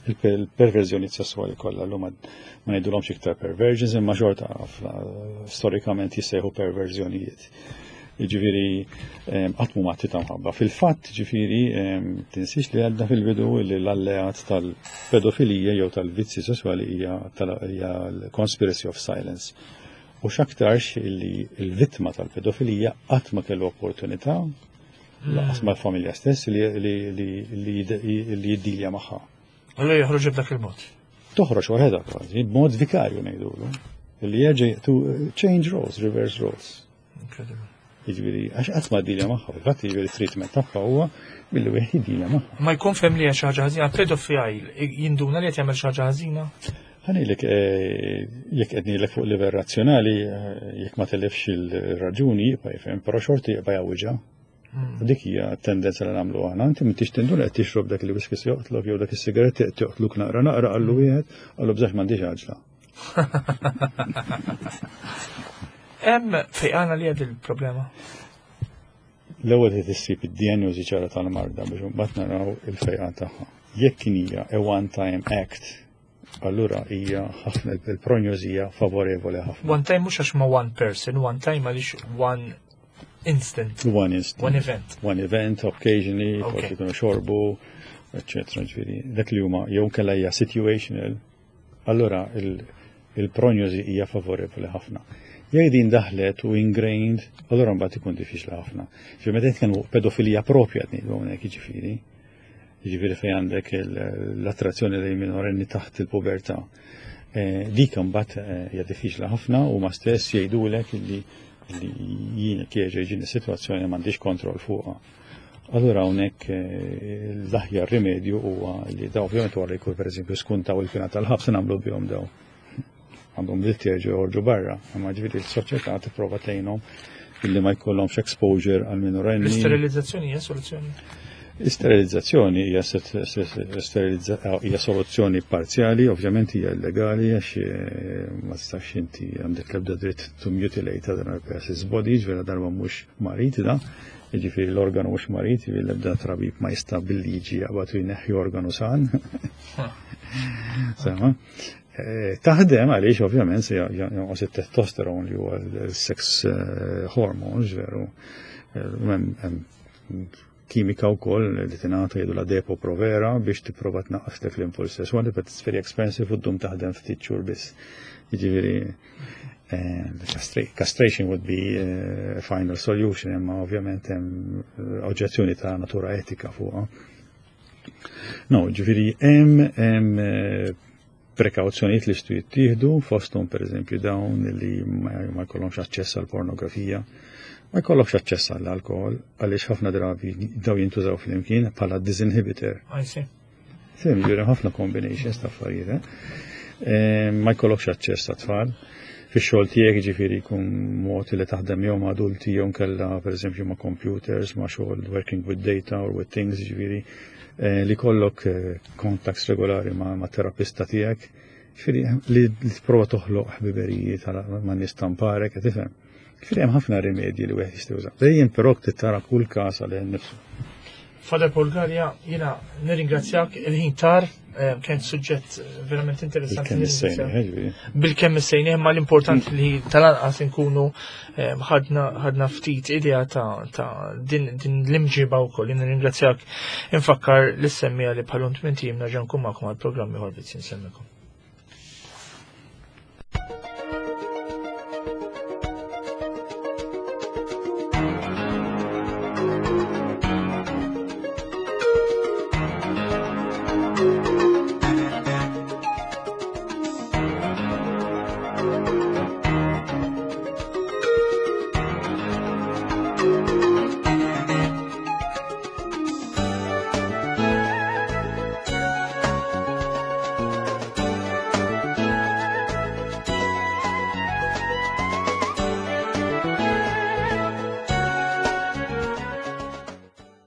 Speaker 2: Il-perverżjoni sessuali kollha llum ma ngħidulhomx iktar perversions imma xorta storikament jissejħu perverżjonijiet. Ġifieri qatt mhu atti ta' mħabba. Fil-fatt, ġifieri tinsiex li għadna fil-bidu li l-alleat tal-pedofilija jew tal-vizzi sessuali hija l-conspiracy of silence. U x'aktarx li l-vittma tal-pedofilija qatt ma kellu opportunità lanqas mal-familja stess li li jiddilja magħha.
Speaker 1: Allura joħroġ b'dak il-mod.
Speaker 2: Toħroġ waħedha kważi, b'mod vikarju ngħidulu. Li jerġa' to change roles, reverse roles.
Speaker 1: Incredible.
Speaker 2: Jiġifieri, għax qatt ma ddilja magħha, fil-fatt jiġifieri treatment tagħha huwa billi wieħed jiddilja magħha.
Speaker 1: Ma jkun fehem li hija xi ħaġa ħażina, pedofil jinduna li qed jagħmel xi ħaġa ħażina?
Speaker 2: Ħa ngħidlek, eh, jekk qed ngħidlek fuq livell razzjonali, eh, jekk ma telefx il-raġuni, jibqa' jifhem, però xorti jibqa' jgħawwiġha. U dik hija tendenza li nagħmlu aħna. Inti m'intix tinduna qed tixrob dak il-whisky se joqtlok jew dak is-sigaretti qed joqtluk naqra naqra, qallu wieħed, qallu bżax, m'għandix għaġla.
Speaker 1: Hemm fejqana li għad il-problema?
Speaker 2: L-ewwel qed issib id-dijanjosi ċara tal-marda biex mbagħad naraw il-fejqan tagħha. Jekk kien hija a one-time act, allura hija ħafna, il-prognosi hija favorevoli ħafna.
Speaker 1: One time mhux għax ma one person, one time għaliex one instant.
Speaker 2: One instant.
Speaker 1: One event.
Speaker 2: One event, occasionally,
Speaker 1: Okay.
Speaker 2: forsi jkunu xorbu, eccetera. Ġifieri, dak li huma jew kella hija situational, allura il- il-prognosi hija favorevoli ħafna. Jekk din daħlet u ingrained, allura mbagħad ikun diffiċli ħafna. Ġifieri meta nitkellmu pedofilija propja qed ngħidu hawnhekk, jiġifieri. Jiġifieri fejn għandek il- l-attrazzjoni lejn minorenni taħt il-pubertà. Eh, Dik mbagħad eh, hija diffiċli ħafna u ma stess jgħidulek illi li jien kieġa jiġini sitwazzjoni m'għandix kontroll fuqha. Allura hawnhekk eh, l-aħjar rimedju huwa li daw ovvjament wara jkun, pereżempju, skuntaw il-pena tal-ħabs, nagħmlu bihom daw. Għandhom dritt jerġgħu joħorġu barra, imma ġifieri l-soċjetà tipprova tgħinhom illi ma jkollhomx exposure għal minorenni.
Speaker 1: L-isterilizzazzjoni hija soluzzjoni?
Speaker 2: Isterilizzazzjoni hija set- se- sterilizza- hija soluzzjoni parzjali, ovvjament hija illegali għax eh, ma tistax inti għandek l-ebda dritt to mutilate other person's body, ġifieri darba mhux marid da, jiġifieri l-organu mhux marid, jiġifieri l-ebda tabib ma jista' bil-liġi jaqbad u jneħħi organu san. Sema. Eh, Taħdem għaliex ovvjament se jonqos it-testosteron li huwa l-sex eh, hormones, veru. Eh, hemm- hemm kimika wkoll li tingħata, jgħidu la Depo Provera, biex tipprova tnaqqas dak l-impuls sesswali, but it's very expensive u ddum taħdem ftit xhur biss. Jiġifieri eh, the castration would be a final solution, imma ovvjament hemm eh, oġġezzjoni ta' natura etika fuqha. No, ġifieri hemm hemm eh, prekawzjonijiet li jistgħu jittieħdu, fosthom pereżempju dawn li ma ma jkollhomx aċċess għal pornografija, ma jkollokx aċċess għall alkohol, għaliex ħafna drabi daw jintużaw flimkien bħala disinhibitor.
Speaker 1: I see.
Speaker 2: Fim, ġifieri ħafna combinations ta' affarijiet. eh? Eh, Ma jkollokx aċċess ta' tfal. Fix-xogħol tiegħek, ġifieri jkun mod li taħdem jew ma' adulti jew kella pereżempju ma' computers, ma' xogħol working with data or with things, ġifieri eh, li kollok eh, contacts regolari ma', ma' terapista tiegħek. Ġifieri li li tipprova toħloq ħbiberiji tal- ma' nies tamparek, qed tifhem. Ġifieri hemm ħafna rimedji li wieħed jista' juża. Dejjem però tara kull każ għalih innifsu.
Speaker 1: Father Paul Galea, jiena nirringrazzjak, il-ħin tar, eh, kien suġġett verament interessanti.
Speaker 2: Bil-kemm issejni, ġifieri.
Speaker 1: Bil-kemm issejni, imma l-importanti li tal-anqas nkunu eh, ħadna ħadna ftit idea ta' ta' din din l-imġiba wkoll. Jien nirringrazzjak, infakkar lis-semmiegħa li bħal tmint ijiem nerġa' nkun magħkom għall-programm ieħor Vizzji. Nsemmikom.